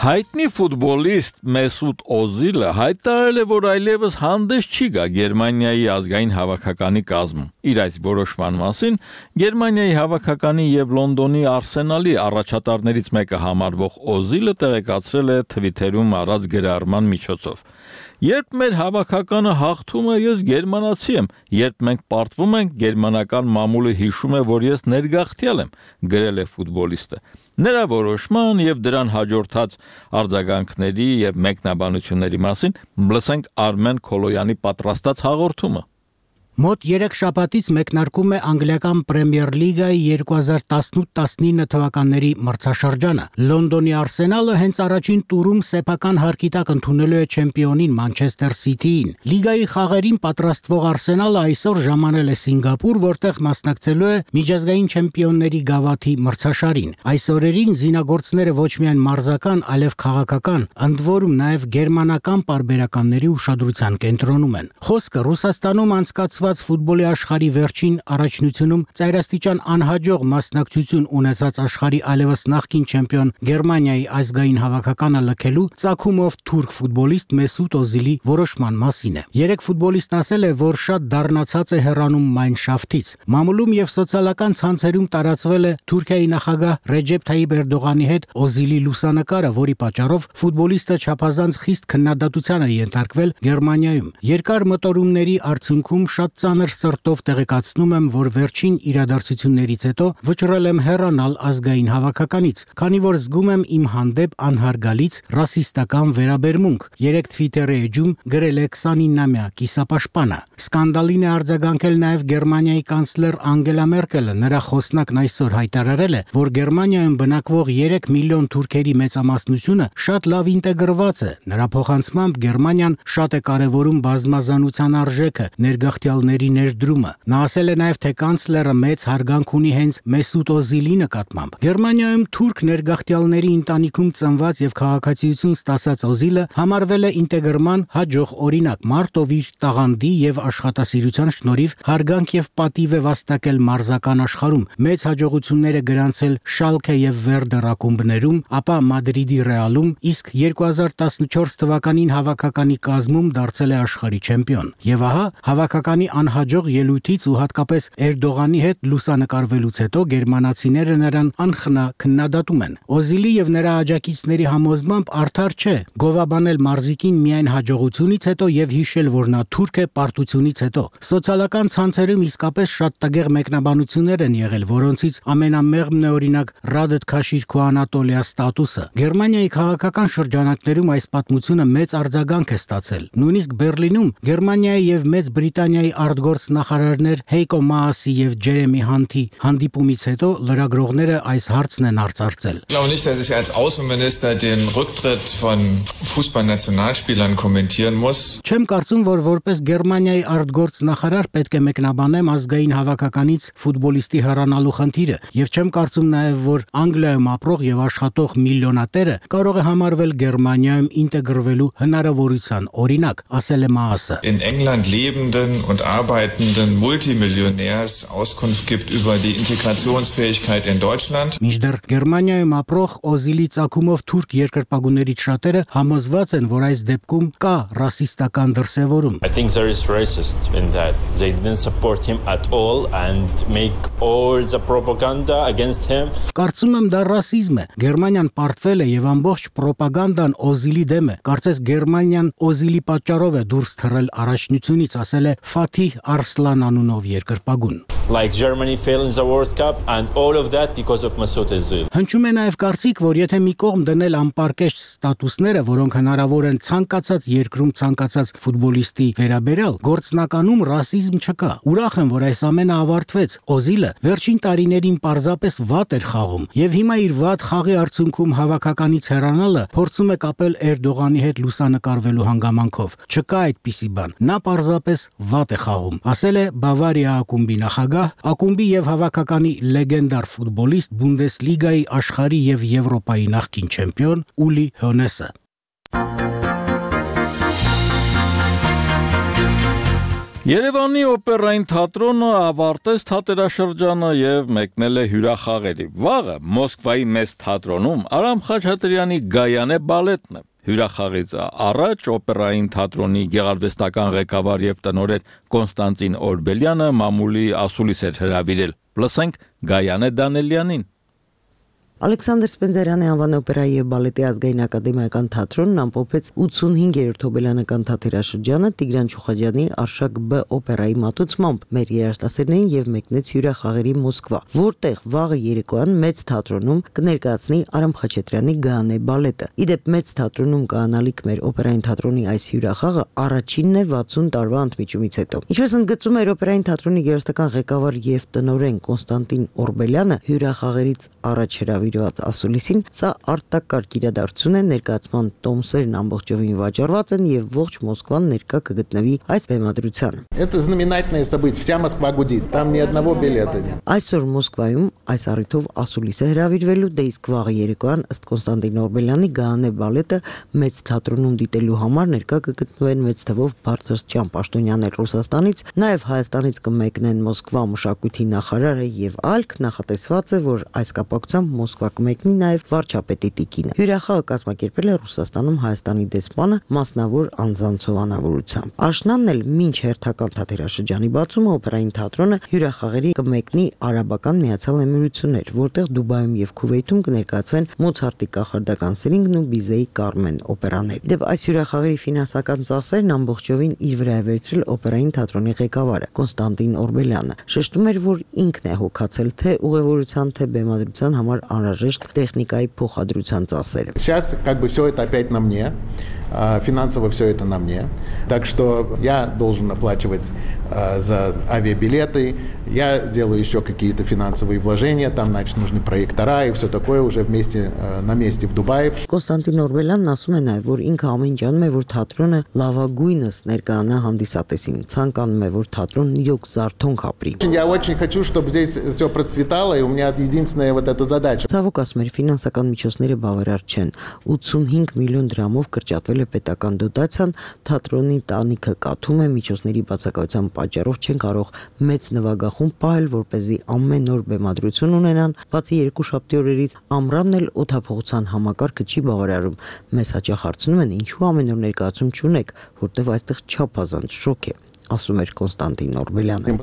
Հայտնի ֆուտբոլիստ Մեսուտ Օզիլը հայտարարել է, որ այլևս հանդես չի գա Գերմանիայի ազգային հավաքականի կազմում։ Իր այս որոշման մասին Գերմանիայի հավաքականի եւ Լոնդոնի Արսենալի առաջատարներից մեկը համարվող Օզիլը տեղեկացրել է Twitter-ում արած գրառման միջոցով. Երբ մեր հավաքականը հաղթում է, ես գերմանացի եմ, երբ մենք պարտվում ենք, գերմանական մամուլը հիշում է, որ ես ներգաղթյալ եմ, գրել է ֆուտբոլիստը։ Նրա որոշման եւ դրան հաջորդած արձագանքների եւ մեկնաբանությունների մասին լսենք Արմեն Քոլոյանի պատրաստած հաղորդումը։ Մոտ երեք շաբաթից մեկնարկում է անգլիական Պրեմիեր լիգայի երկու հազար տասնութ տասնինը թվականների մրցաշրջանը։ Լոնդոնի Արսենալը հենց առաջին տուրում սեփական հարկի տակ ընդունելու է չեմպիոնին Մանչեսթեր Սիթիին։ Լիգայի խաղերին պատրաստվող Արսենալը այսօր ժամանել է Սինգապուր, որտեղ մասնակցելու է միջազգային չեմպիոնների գավաթի մրցաշարին։ Այս օրերին զինագործները ոչ միայն մարզական, այլև քաղաքական, ընդ որում նաև գերմանական պարբերականների ուշադրության կենտրոնում են։ Խոսքը Ռուսաստանում անցկացված ֆուտբոլի աշխարհի վերջին առաջնությունում ծայրաստիճան անհաջող մասնակցություն ունեցած աշխարհի այլևս նախկին չեմպիոն Գերմանիայի ազգային հավաքականը լքելու ծագումով թուրք ֆուտբոլիստ Մեսուտ Օզիլի որոշման մասին է։ Երեք ֆուտբոլիստն ասել է, որ շատ դառնացած է հեռանում Մայնշաֆտից։ Մամուլում եւ սոցիալական ցանցերում տարածվել է Թուրքիայի նախագահ Ռեջեփ Թայիպ Էրդողանի հետ Օզիլի լուսանկարը, որի պատճառով ֆուտբոլիստը չափազանց խիստ քննադատության է ենթարկվել Գերմանիայում։ Երկար մտորումների արդյունքում շատ ծանր սրտով տեղեկացնում եմ, որ վերջին իրադարձություններից հետո վճռել եմ հեռանալ ազգային հավաքականից, քանի որ զգում եմ իմ հանդեպ անհարգալից ռասիստական վերաբերմունք։ Երեք Twitter-ի էջում գրել է քսանինամյա կիսապաշտպանը։ Սկանդալին է արձագանքել նաև Գերմանիայի կանցլեր Անգելա Մերկելը։ Նրա խոսնակն այսօր հայտարարել է, որ Գերմանիայում բնակվող երեք միլիոն թուրքերի մեծամասնությունը շատ լավ ինտեգրված է։ Նրա փոխանցմամբ Գերմանիան շատ է կարևորում բազմազանության արժեքը, ներգաղթյալների ներդրումը։ Նա ասել է նաև, թե կանցլերը մեծ հարգանք ունի հենց Մեսուտ Օզիլի նկատմամբ։ Գերմանիայում թուրք ներգաղթյալների ընտանիքում ծնված եւ քաղաքացիություն ստացած Օզիլը համարվել է ինտեգրման հաջող օրինակ։ Մարտով իր տաղանդի եւ աշխատասիրության շնորհիվ հարգանք եւ պատիվ է վաստակել մարզական աշխարհում, մեծ հաջողություններ է գրանցել Շալքե եւ Վերդեր ակումբներում, ապա Մադրիդի Ռեալում, իսկ երկու հազար տասնչորս թվականին հավաքականի կազմում դարձել է աշխարհի չեմպիոն։ Եվ ահա հավաքականի անհաջող ելույթից ու հատկապես Էրդողանի հետ լուսանկարվելուց հետո գերմանացիները նրան անխնա քննադատում են։ Օզիլի եւ նրա աջակիցների համոզմամբ արդար չէ գովաբանել մարզիկին միայն հաջողությունից հետո եւ հիշել, որ նա թուրք է պարտությունից հետո։ Սոցիալական ցանցերում իսկապես շատ տգեղ մեկնաբանություններ են եղել, որոնցից ամենամեղմն է օրինակ Ռադետ Քաշիրքու Անատոլիա ստատուսը։ Գերմանիայի քաղաքական շրջանակներում այս պատմությունը մեծ արձագանք է ստացել։ Նույնիսկ Բերլինում Գերմանիայի եւ Մեծ Բրիտանիայի արտգործ նախարարներ Հեյկո Մաասի եւ Ջերեմի Հանթի հանդիպումից հետո լրագրողները այս հարցն են արծարծել. Ich glaube nicht, dass ich als Außenminister den Rücktritt von Fußballnationalspielern kommentieren muss. Չեմ կարծում, որ որպես Գերմանիայի արտգործ նախարար պետք է մեկնաբանեմ ազգային հավաքականից ֆուտբոլիստի հեռանալու խնդիրը, եւ չեմ կարծում նաեւ, որ Անգլիայում ապրող եւ աշխատող միլիոնատերը կարող է համարվել Գերմանիայում ինտեգրվելու հնարավորության օրինակ, ասել է Maase. In England lebenden und arbeitenden Multimillionärs Auskunft gibt über die Integrationsfähigkeit in Deutschland. Մինչդեռ Գերմանիայում ապրող Օզիլի ցակումով թուրք երկրպագուներից շատերը համոզված են, որ այս դեպքում կա ռասիստական դրսևորում. I think there is racist in that. They didn't support him at all and make all the propaganda against him. Կարծում եմ դա ռասիզմ է։ Գերմանիան պարտվել է եւ ամբողջ ռոպագանդան Օզիլի դեմ է։ Կարծես Գերմանիան Օզիլի պատճառով է դուրս թռել առաջնությունից, ասել է Ֆաթիհ Արսլան անունով երկրպագուն. Like Germany failed in the World Cup and all of that because of Mesut Özil. Հնչում է նաև կարծիք, որ եթե մի կողմ դնել անպարկեշտ ստատուսները, որոնք հնարավոր են ցանկացած երկրում ցանկացած ֆուտբոլիստի վերաբերյալ, գործնականում ռասիզմ չկա։ Ուրախ եմ, որ այս ամենը ավարտվեց։ Օզիլը վերջին տարիներին պարզապես վատ էր խաղում, եւ հիմա իր վատ խաղի արդյունքում հավաքականից հեռանալը փորձում է կապել Էրդողանի հետ լուսանկարվելու հանգամանքով։ Չկա այդպիսի բան։ Նա պարզապես վատ է խաղում, ասել է Բավարիա ակումբի նախագահ, ակումբի եւ հավաքականի լեգենդար ֆուտբոլիստ Բունդեսլիգայի աշխարհի եւ Եվրոպայի նախկին չեմպիոն Ուլի Հոնեսը։ Երևանի օպերային թատրոնը ավարտեց թատերաշրջանը եւ մեկնել է հյուրախաղերի։ Վաղը Մոսկվայի մեծ թատրոնում Արամ Խաչատրյանի Գայանե բալետն է։ Հյուրախաղից առաջ օպերային թատրոնի գեղարվեստական ղեկավար եւ տնօրեն Կոնստանտին Օրբելյանը մամուլի ասուլիս էր հրավիրել։ Լսենք Գայանե Դանելյանին։ Ալեքսանդր Սպենդերյանի անվան օպերայի եւ բալետի ազգային ակադեմիական թատրոնն ամփոփեց ութսունհինգերորդ հոբելյանական թատերաշրջանը Տիգրան Չուխաջյանի Արշակ Բ օպերայի մատուցմամբ մեր երաժշտասերներին եւ մեկնեց հյուրախաղերի Մոսկվա, որտեղ վաղը երեկոյան մեծ թատրոնում կներկայացնի Արամ Խաչատրյանի Գայանե բալետը։ Իդեպ մեծ թատրոնում կանալիք մեր օպերային թատրոնի այս հյուրախաղը առաջինն է վաթսուն տարվա ընդմիջումից հետո։ Ինչպես ընդգծում էր օպերային թատրոնի երաժշտական ղեկավար եւ տնօրեն Կոնստանտին Օրբելյանը, հյուրախաղերից առաջ հրավիրված ասուլիսին, սա արտակարգ իրադարձություն է, ներկայացման տոմսերն ամբողջովին վաճառված են եւ ողջ Մոսկվան ներկա կգտնվի այս բեմադրությանը։ Это знаменательное событие, вся Москва гудит, там ни одного билета нет. Այսօր Մոսկվայում այս առիթով ասուլիս է հրավիրվելու, դե իսկ վաղը երեկոյան ըստ Կոնստանտին Օրբելյանի Գայանե բալետը մեծ թատրոնում դիտելու համար ներկա կգտնվեն մեծ թվով բարձրաստիճան պաշտոնյաներ Ռուսաստանից, նաեւ Հայաստանից կմեկնեն Մոսկվա մշակույթի նախարարը եւ այլք, նախատեսված է, որ այս կապակցությամբ Մոսկվա կմեկնի նաև վարչապետի տիկինը։ Հյուրախաղը կազմակերպել է Ռուսաստանում Հայաստանի դեսպանը մասնավոր անձանցով անավորությամբ։ Աշնանն էլ մինչ հերթական թատերաշրջանի բացումը օպերային թատրոնը հյուրախաղերի կմեկնի Արաբական Միացյալ Էմիրություններ, որտեղ Դուբայում եւ Քուվեյթում կներկայացվեն Մոցարտի կախարդական սերինգն ու Բիզեի Կարմեն օպերաներ։ Դեպ այս հյուրախաղերի ֆինանսական ծախսերն ամբողջովին իր վրա է վերցրել օպերային թատրոնի ղեկավարը Կոնստանտին Օրբելյանը։ Շեշտում էր, որ ինքն է հոգացել թե ուղևորության, թե բեմադրության համար անհրաժեշտ տեխնիկայի փոխադրության ծախսերը։ Сейчас как бы все это опять на мне. Финансово все это на мне. Так что я должен оплачивать за авиабилеты, я делаю еще какие-то финансовые вложения, там, значит, нужны проектора и все такое уже вместе на месте в Дубае. Կոնստանտին Օրբելյանն ասում է նաև, որ ինքը ամեն ինչ անում է, որ թատրոնը լավագույնս ներկայանա հանդիսատեսին, ցանկանում է, որ թատրոնն իրոք զարթոնք ապրի։ Я очень хочу, чтобы здесь все процветало, и у меня единственная вот эта задача. Ցավոք ասում էր, ֆինանսական միջոցները բավարար չեն։ ութսունհինգ միլիոն դրամով կրճատվել է պետական դոտացիան, թատրոնի տանիքը կաթում է, միջոցների բացակայության պատճառով չեն կարող մեծ նվագախումբ պահել, որպեսզի ամեն օր բեմադրություն ունենան, բացի երկուշաբթի օրերից ամռանն էլ օդափողության համակարգը չի բավարարում։ Մեզ հաճախ հարցնում են, ինչու ամեն օր ներկայացում չունեք, որտեղ այստեղ չափազանց շոկ է, ասում էր Կոնստանտին Օրբելյանը։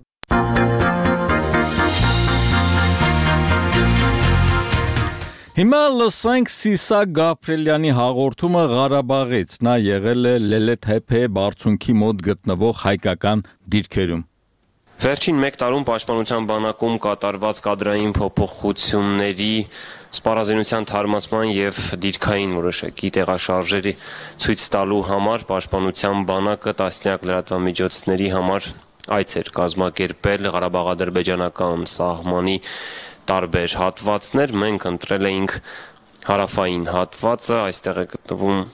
Հիմա լսենք Սիսակ Գաբրելյանի հաղորդումը Ղարաբաղից, նա եղել է Լելեթեփե բարձունքի մոտ գտնվող հայկական դիրքերում։ Վերջին մեկ տարում պաշտպանության բանակում կատարված կադրային փոփոխությունների սպառազինության թարմացման եւ դիրքային որոշակի տեղաշարժերի ցույց տալու համար պաշտպանության բանակը տասնյակ լրատվամիջոցների համար այց էր կազմակերպել Ղարաբաղ-ադրբեջանական սահմանի տարբեր հատվածներ, մենք ընտրել էինք հարավային հատվածը, այստեղ է գտնվում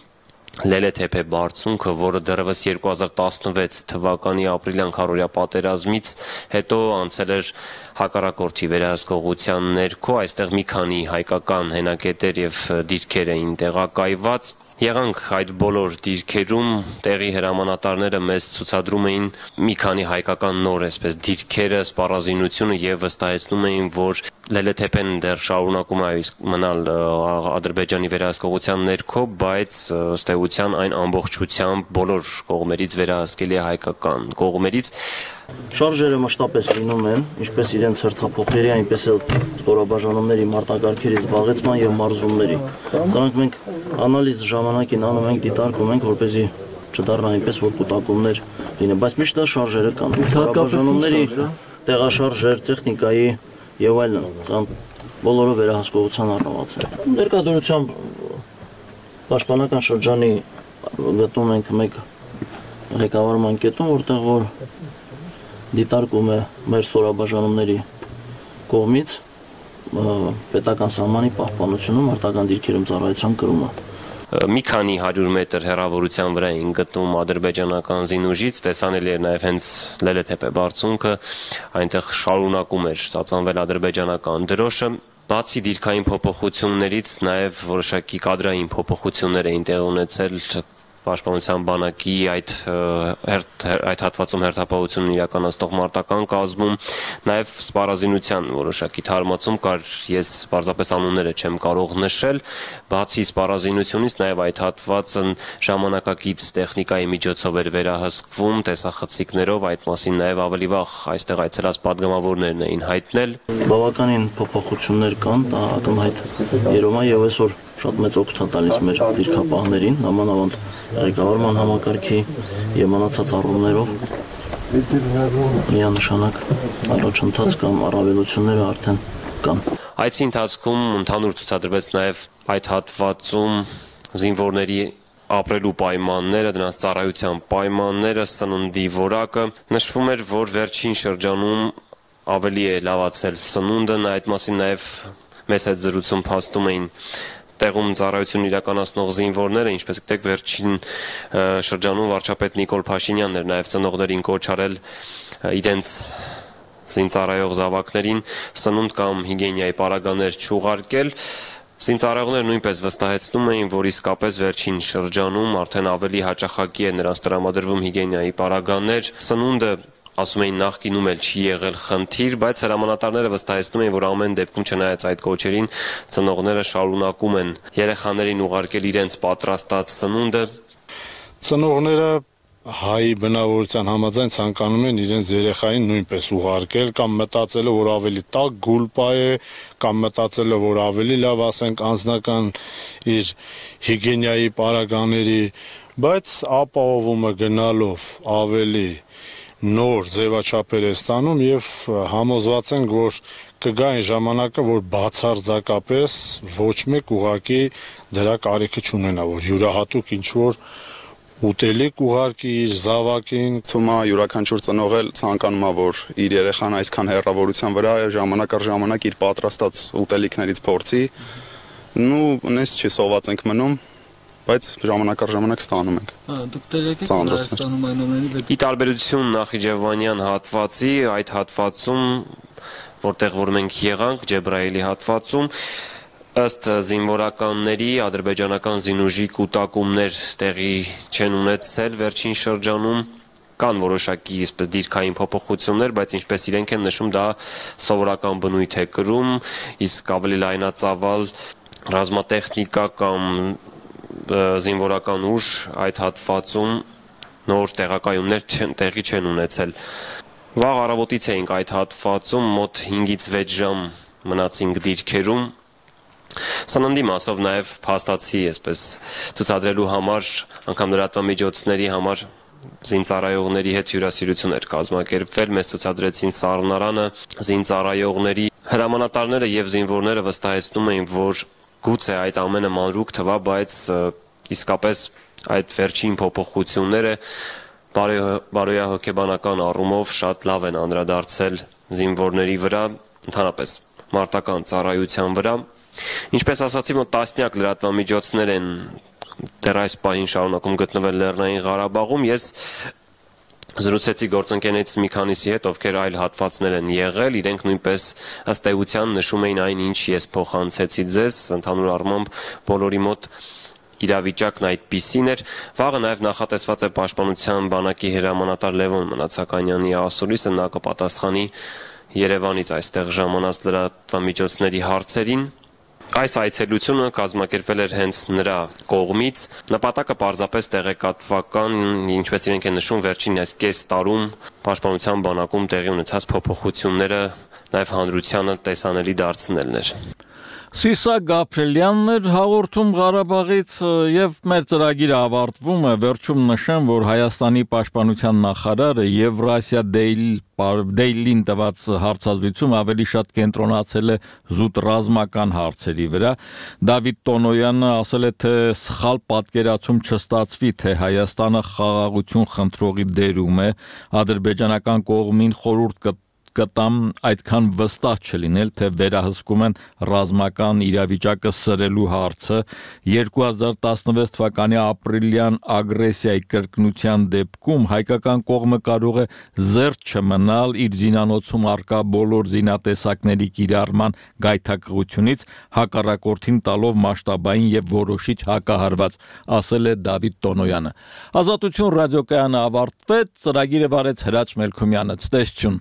Լելեթեփե բարձունքը, որը դեռևս երկու հազար տասնվեց թվականի ապրիլյան քառորյա պատերազմից հետո անցել էր հակառակորդի վերահսկողության ներքո, այստեղ մի քանի հայկական հենակետեր եւ դիրքեր էին տեղակայված։ Եղանք այդ բոլոր դիրքերում, տեղի հրամանատարները մեզ ցուցադրում էին մի քանի հայկական նոր այսպես դիրքերը, սպառազինությունը եւ վստահեցնում էին, որ Լելեթեփեն դեռ շարունակում է մնալ Ադրբեջանի վերահսկողության ներքո, բայց ըստ էության այն ամբողջությամբ բոլոր կողմերից վերահսկելի է հայկական կողմերից։ Շարժերը մշտապես լինում են, ինչպես իրենց հերթափոխերի, այնպես էլ ստորաբաժանումների մարտակարգերի զբաղեցման եւ մարզումների։ Սրանք մենք անալիզ ժամանակին անում ենք, դիտարկում ենք, որպեսզի չդառնա այնպես, որ կուտակումներ լինեն, բայց միշտ շարժերը կան։ Ստորաբաժանումների տեղաշարժեր, տեխնիկայի եւ այլն, ցան բոլորը վերահսկողության առնված են։ Ներկայությամբ պաշտպանական շրջանի գտնում ենք մեկ ղեկավարման կետում, որտեղ որ դիտարկում է մեր ստորաբաժանումների կողմից պետական սահմանի պահպանությունը, մարտական դիրքերում ծառայության կրումը։ Մի քանի հարյուր մետր հեռավորության վրա էին գտնվում ադրբեջանական զինուժից, տեսանելի էր նաև հենց Լելեթեփե բարձունքը, այնտեղ շարունակում էր ստացանվել ադրբեջանական դրոշը։ Բացի դիրքային փոփոխություններից նաև որոշակի կադրային փոփոխություններ էին տեղի ունեցել Պաշտպանության բանակի այդ այդ հատվածում հերթապահությունն իրականացնող մարտական կազմում, նաև սպառազինության որոշակի թարմացում կար, ես պարզապես անունները չեմ կարող նշել, բացի սպառազինությունից նաև այդ հատվածը ժամանակակից տեխնիկայի միջոցով էր վերահսկվում, տեսախցիկներով, այդ մասին նաև ավելի վաղ այստեղ այցելած падգամավորներն էին հայտնել։ Բավականին փոփոխություններ կան, դա ակնհայտ երևում է եւ այսօր շատ մեծ օգուտ է տալիս մեր դիրքապահներին, նամանավանդ ղեկավարման համակարգի եւ մնացած առումներով միանշանակ առաջընթաց կամ առավելությունները արդեն կան։ Այցի ընթացքում ընդհանուր ցուցադրվեց նաեւ այդ հատվածում զինվորների ապրելու պայմանները, դրանց ծառայության պայմանները, սննդի որակը։ Նշվում էր, որ վերջին շրջանում ավելի է լավացել սնունդը, այդ մասին նաեւ մեծ հետ զրույցում փաստում էին տեղում ծառայություն իրականացնող զինվորները, ինչպես գիտեք, վերջին շրջանում վարչապետ Նիկոլ Փաշինյանն էր նաև ծնողներին կոչ արել իրենց զինծառայող զավակներին սնունդ կամ հիգիենայի պարագաներ չուղարկել։ Զինծառայողները նույնպես վստահեցնում էին, որ իսկապես վերջին շրջանում արդեն ավելի հաճախակի է նրանց տրամադրվում հիգիենայի պարագաներ, սնունդը ասում էին նախկինում էլ չի եղել խնդիր, բայց հրամանատարները վստահեցնում էին, որ ամեն դեպքում չնայած այդ կոչերին ծնողները շարունակում են երեխաներին ուղարկել իրենց պատրաստած սնունդը։ Ծնողները հայի բնավորության համաձայն ցանկանում են իրենց երեխային նույնպես ուղարկել կամ մտածելով, որ ավելի տաք գուլպա է, կամ մտածելով, որ ավելի լավ, ասենք, անձնական իր հիգիենայի պարագաների, բայց ապահովումը գնալով ավելի նոր ձևաչափեր է ստանում եւ համոզված ենք, որ կգա այն ժամանակը, որ բացարձակապես ոչ մեկ ուղակի դրա կարիքը չունենա, որ յուրահատուկ ինչ-որ ուտելիք ուղարկի իր զավակին։ Թվում է յուրաքանչյուր ծնող էլ ցանկանում է, որ իր երեխան այսքան հեռավորության վրա ժամանակ առ ժամանակ իր պատրաստած ուտելիքներից փորձի։ Նու նես չի սոված ենք մնում, բայց ժամանակ առ ժամանակ ստանում ենք։ Դուք տեղեկ եք Հայաստանում այն ամենի։ Ի տարբերություն Նախիջևանյան հատվածի, այդ հատվածում, որտեղ որ մենք եղանք, Ջեբրայելի հատվածում, ըստ զինվորականների ադրբեջանական զինուժի կուտակումներ տեղի չեն ունեցել վերջին շրջանում, կան որոշակի այսպես դիրքային փոփոխություններ, բայց ինչպես իրենք են նշում, դա սովորական բնույթ է կրում, իսկ ավելի լայնածավալ ռազմատեխնիկա կամ զինվորական ուժ այդ հատվածում նոր տեղակայումներ տեղի չեն ունեցել։ Վաղ առավոտից էինք այդ հատվածում, մոտ հինգից վեց ժամ մնացինք դիրքերում։ Սննդի մասով նաև փաստացի, այսպես ցուցադրելու համար, անգամ լրատվամիջոցների համար զինծառայողների հետ հյուրասիրություն էր կազմակերպվել, մեզ ցուցադրեցին սառնարանը զինծառայողների, հրամանատարները եւ զինվորները վստահեցնում էին, որ գուցե այդ ամենը մանրուք թվա, բայց իսկապես այդ վերջին փոփոխությունները բարոյահոգեբանական առումով շատ լավ են անդրադարձել զինվորների վրա, ընդհանրապես մարտական ծառայության վրա։ Ինչպես ասացի, մոտ տասնյակ լրատվամիջոցներ են դեռ այս պահին շարունակում գտնվել Լեռնային Ղարաբաղում։ Ես զրուցեցի գործընկերներից մի քանիսի հետ, ովքեր այլ հատվածներ են եղել, իրենք նույնպես ըստ էության նշում էին այն, ինչ ես փոխանցեցի ձեզ, ընդհանուր առմամբ բոլորի մոտ իրավիճակն այդպիսին էր։ Վաղը նաև նախատեսված է Պաշտպանության բանակի հրամանատար Լևոն Մնացականյանի ասուլիսը, նա կպատասխանի Երևանից այստեղ ժամանած լրատվամիջոցների հարցերին։ Այս այցելությունը կազմակերպվել էր հենց նրա կողմից։ Նպատակը պարզապես տեղեկատվական, ինչպես իրենք են նշում, վերջին այս կես տարում Պաշտպանության բանակում տեղի ունեցած փոփոխությունները նաև հանրությանը տեսանելի դարձնելն էր։ Սիսա Գաբրելյանն էր հաղորդում Ղարաբաղից եւ մեր ծրագիրը ավարտվում է։ Վերջում նշեմ, որ Հայաստանի պաշտպանության նախարարը Եվրասիա Դեյլին տված հարցազրույցում ավելի շատ կենտրոնացել է զուտ ռազմական հարցերի վրա։ Դավիթ Տոնոյանը ասել է, թե սխալ պատկերացում չստացվի, թե Հայաստանը խաղաղություն խնդրողի դերում է, ադրբեջանական կողմին խորհուրդ կտ կտամ այդքան վստահ չլինել, թե վերահսկում են ռազմական իրավիճակը սրելու հարցը։ երկու հազար տասնվեց թվականի ապրիլյան ագրեսիայի կրկնության դեպքում հայկական կողմը կարող է զերծ չմնալ իր զինանոցում առկա բոլոր զինատեսակների կիրառման գայթակղությունից, հակառակորդին տալով մասշտաբային եւ որոշիչ հակահարված, ասել է Դավիթ Տոնոյանը։ Ազատություն ռադիոկայանը ավարտվեց, ծրագիրը վարեց Հրաչ Մելքումյանը։ Ցտեսություն։